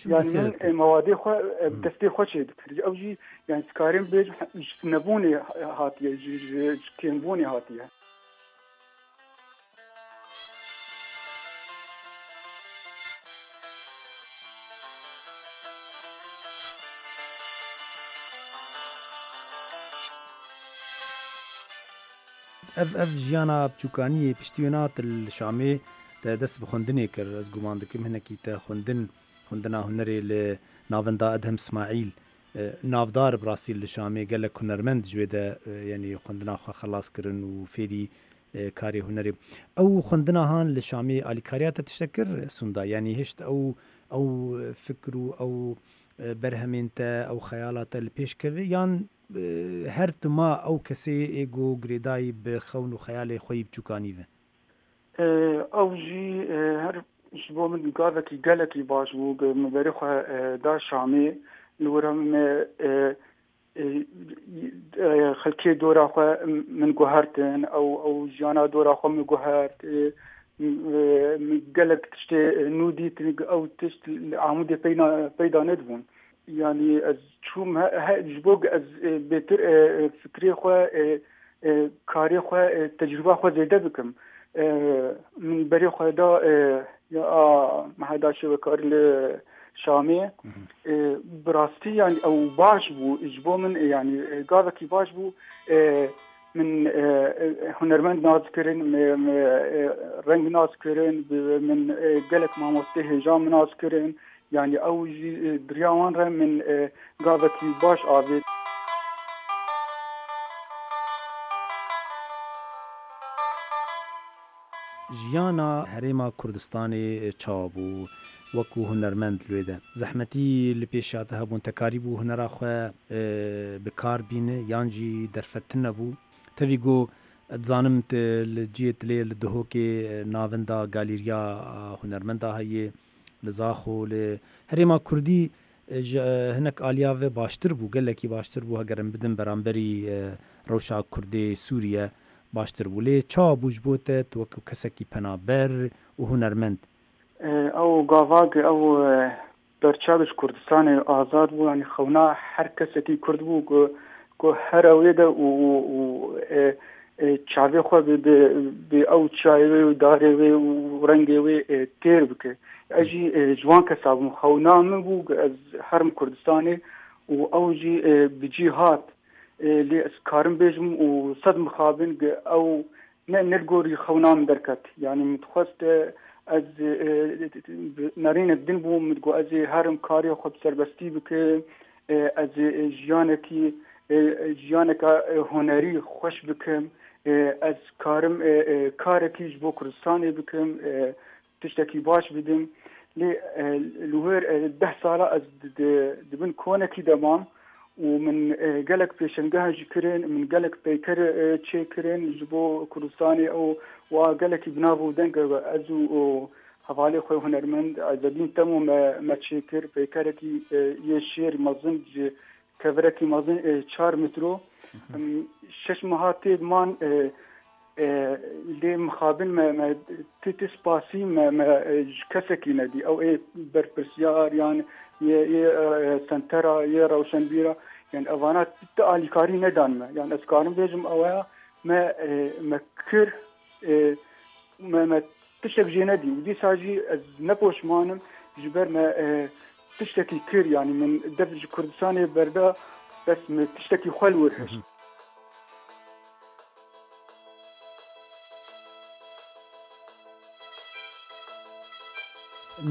yani min mewadê xwe bi destê xwe çê dikir ew jî yani karim bêjim ji nebûnê hatiye ji kêmbûnê hatiye. Ev ev jiyana biçûkaniyê piştî wê nat li Şamê te dest bi xwendinê kir. Ez guman dikim hinekî te xwendin xwendina hunerê li navenda Edhem Smaîl navdar bi rastî li Şamê gelek hunermend ji wê de yanî xwendina xwe xelas kirin û fêrî karê hunerê. Ew xwendina han li Şamê alîkariya te tiştek kir Sunda yanî hişt ew ew fikr û ew berhemên te ew xeyala te li pêş keve yan her tu ma ew kesê ê got girêdayî bi xewn û xeyalê xwe yî biçûkanî ve? Ew jî her Ji bo min gavekî gelekî baş bû min berê xwe da Şamê li wir me xelkê dora xwe min guhertin ew ew jiyana dora xwe min guhert min gelek tiştê nû dîtin ew tişt li Amûdê peyda nedibûn. Yani ez çûm ji bo ez bêtir fikrê xwe karê xwe tecrüba xwe zêde bikim min berê xwe da ya meheda şêwekarî li Şamê bi rastî yani ew baş bû ji bo min yani gavekî baş bû min hunermend nas kirin reng nas kirin min gelek mamostê hêja min nas kirin yani ew jî diriya wan re min gavekî baş avêt. Jiyana Herêma Kurdistanê çawa bû wekû hunermend li wê de? Zehmetî li pêşiya te hebûn, te karîbû hunera xwe bi kar bîne yan jî derfetin nebû? Tevî got dizanim te li cihê te lê li Duhokê navenda galeriya hunermenda heye li Zaxo li Herêma Kurdî ji hinek aliya ve baştir bû, gelekî baştir bû heger em bidin beramberî rewşa Kurdê Sûriye baştir bû. Lê çawa bû ji bo te tu wekû kesekî penaber û hunermend? Ew gavak ew berçav ji Kurdistanê azad bû yani xewna her kesekî Kurd bû ku ku her ewê de û û çavê xwe bi ew çayê wê û darê wê û rengê wê têr bike. Ez jî ji wan kesa bûm xewna min bû ez herim Kurdistanê û ew jî bi cî hat lê ez karim bêjim û sed mixabin ew ne ne li gorî xewna min derket. Yani min dixwest ez nerînek din bûm min digot ez ê herim karê xwe bi serbestî bikim ez ê jiyanekî jiyaneka hunerî xweş bikim ez karim karekî ji bo Kurdistanê bikim tiştekî baş bidim. Lê li wir deh sala ez di bin konekî de mam û min gelek pêşengeha jî kirin min gelek peyker çêkirin ji bo Kurdistanê ew wa gelekî bi nav û deng ez û hevalê xwe hunermend Ezedîn Temo me me çêkir peykerekî yê şêr mezin ji kevirekî mezin çar metro şeş meha tê man lê mixabin me me ti spasî me me ji kesekî nedî ew ê berpirsiyar yan yê yê sentera yê rewşenbîra yani evana ti alîkarî nedan me yani ez karim bêjim ew me me kir me me tiştek jê nedî û dîsa jî ez nepoşmanim ji ber me tiştekî kir yani min dev ji Kurdistanê berda bes me tiştekî xwe li wir hişt.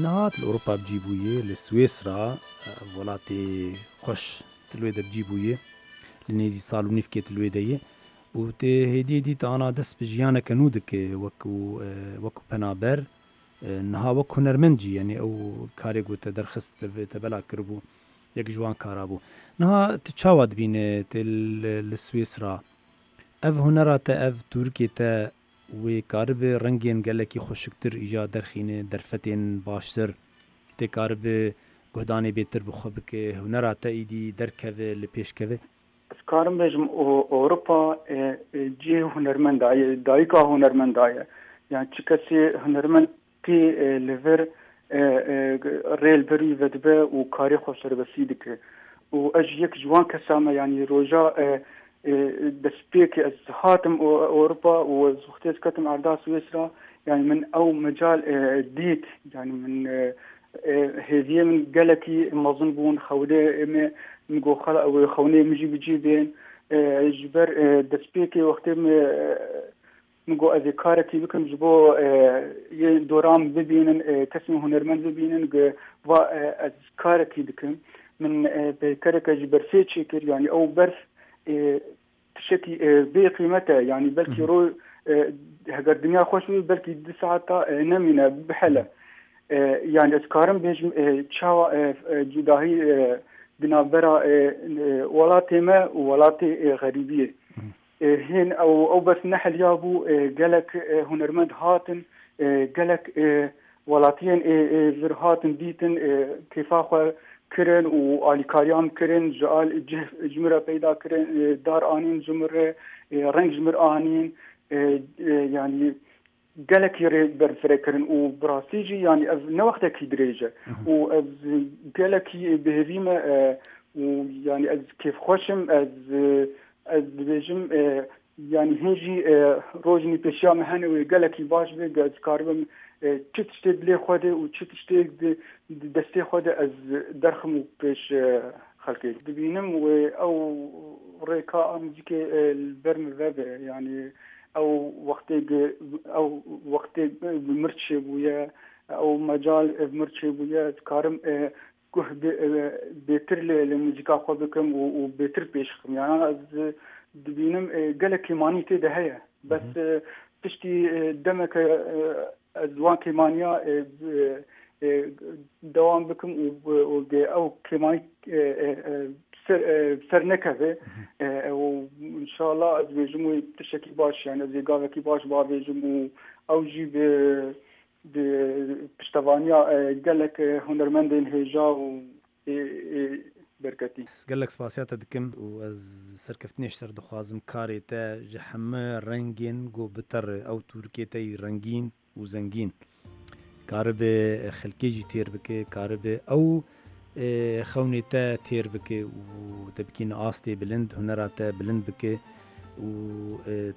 Niha li Ewropa bicî bûye, li Swêsra welatê xweş te li wê de bicî bûye, li nêzî sal û nîvkê te li wê de ye û tê hêdî hêdî te ana dest bi jiyaneke nû dike wekû wekû penaber niha wek hunermend jî yanî ew karê ku te derxist te bela kiribû yek ji wan kara bû. Niha tu çawa dibîne te li Swêsra ev hunera te ev Turkê te wê karibe rengên gelekî xweşiktir îca derxîne derfetên baştir tê karibe guhdanê bêtir bi xwe bike hunera te êdî derkeve li pêşkeve? Ez karim bêjim Ewropa cihê hunermenda ye dayika hunermenda ye yani çi kesê hunermend tê li vir rê li ber wî vedibe û karê xwe serbestî dike û ez jî yek ji wan kesa me yani roja destpêkê ez hatim Ewropa û ez wextê ez ketim erda Swêsra yani min ew mecal dît yani min hêviyê min gelekî mezin bûn xewlê me min got xela ew xewnê min jî bi cî bên ji ber destpêkê wextê me min got ez ê karekî bikim ji bo yê doran bibînin kesên hunermend bibînin va ez karekî dikim min peykereke ji berfê çêkir yani ew berf tiştekî bê qîmet e yani belkî ro heger dinya xweş bû belkî du saeta nemîne bihele yani ez karim bêjim çawa cudahî di navbera welatê me û welatê xerîbiyê hên ew ew bes neheliya bû gelek hunermend hatin gelek وەلاتیەن vir hatin dîtin kêfa xwe kirin û alîkariyan kirin ji al cih ji min re peyda kirin dar anîn ji min re reng ji min anîn yanî gelekî rê berfireh kirin û bi rastî jî yanî ev ne wextekî dirêj e û ez gelekî bihêvî me û yanî ez kêfxweş im ez ez dibêjim yanî hîn jî rojnî pêşiya me hene wê gelekî baş be ez karibim çi tiştê dilê xwe de û çi tiştê di destê xwe de ez derxim û pêş xelkê dibînim wê ew rêka a muzîkê li ber min vebe yanî ew wextê ew wextê bi mir çêbûye ew mecal bi mir çêbûye dikarim guh bêtir li muzîka xwe bikim û bêtir pêş xim yani ez dibînim gelek kêmanî tê de heye bes piştî demeke ez wan kêmaniya dewam bikim û ew kêmanî ser nekeve û inşallah ez bêjim wê tiştekî baş yani ez ê gavekî baş bavêjim û ew jî bi bi piştevaniya gelek hunermendên hêja û berketî. Gelek spasiya te dikim û ez serkeftinê ji ser dixwazim karê te ji heme rengên ku bi te re ew Turkê te yî rengîn û zengîn karibe xelkê jî têr bike karibe ew xewnê te têr bike û te bikîn astê bilind hunera te bilind bike û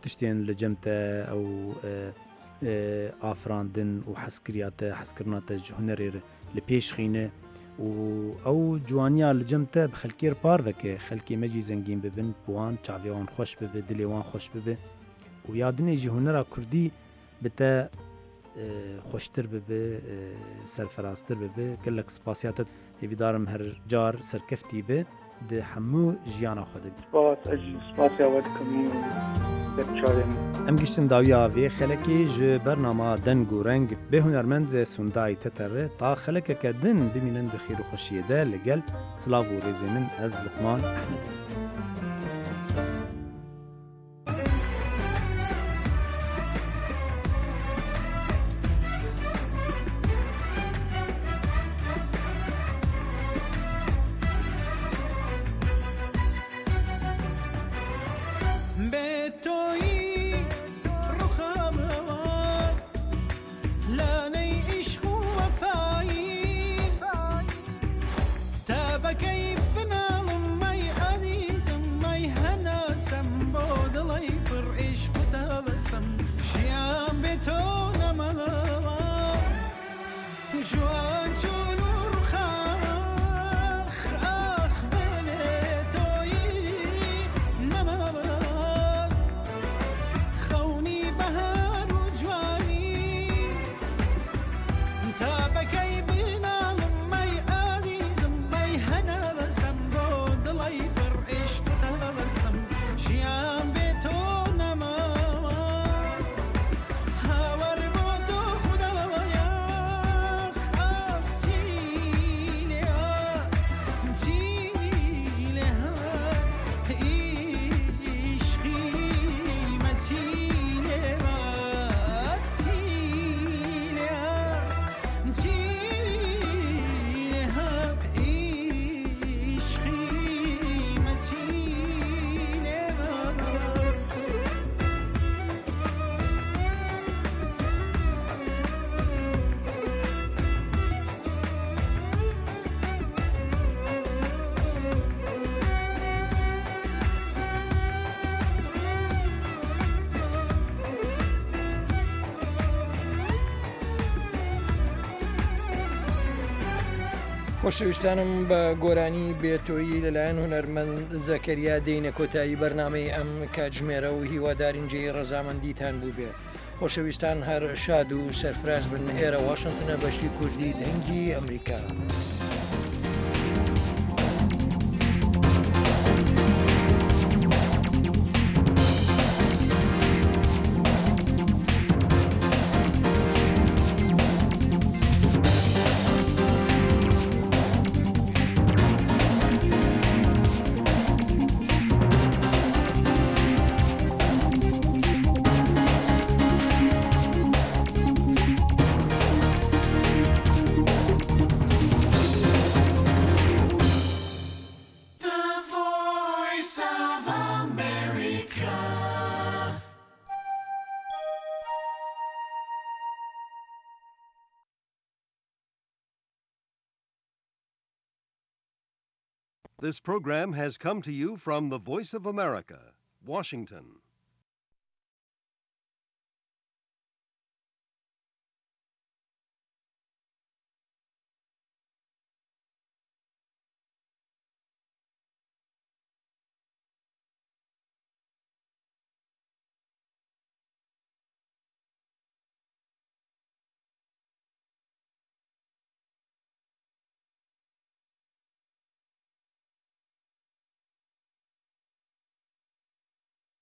tiştên li cem te ew afirandin û hezkiriya te hezkirina te ji hunerê li pêş xîne û ew ciwaniya li cem te bi xelkê re par veke xelkê me jî zengîn bibin bi wan çavê wan xweş bibe dilê wan xweş bibe û ya dinê jî hunera Kurdî bi te xweştir bibe serferaztir bibe gelek spasiya te hêvîdarim her car serkeftî be di hemû jiyana xwe de. Spas, ez jî spasiya we dikim û Em giştin dawiya vê xelekê ji bernama deng û reng bê hunermend Sunday Teter re ta xelekeke din bimînin di xêr û xweşiyê de li gel silav û rêzê min ez Luqman Ehmed im. خۆشەویستانم بە گۆرانی بێتۆیی لەلایەن هونەرمەند زەکەریا دێینە کۆتایی بەرنامەی ئەم کاتژمێرە و هیوادارین جێی ڕەزامەندیتان بوو بێ. خۆشەویستان هەر شاد و سەرفراز بن. ئێرە واشنگتنە بەشی کوردی دەنگی ئەمریکا. This program has come to you from the Voice of America, Washington.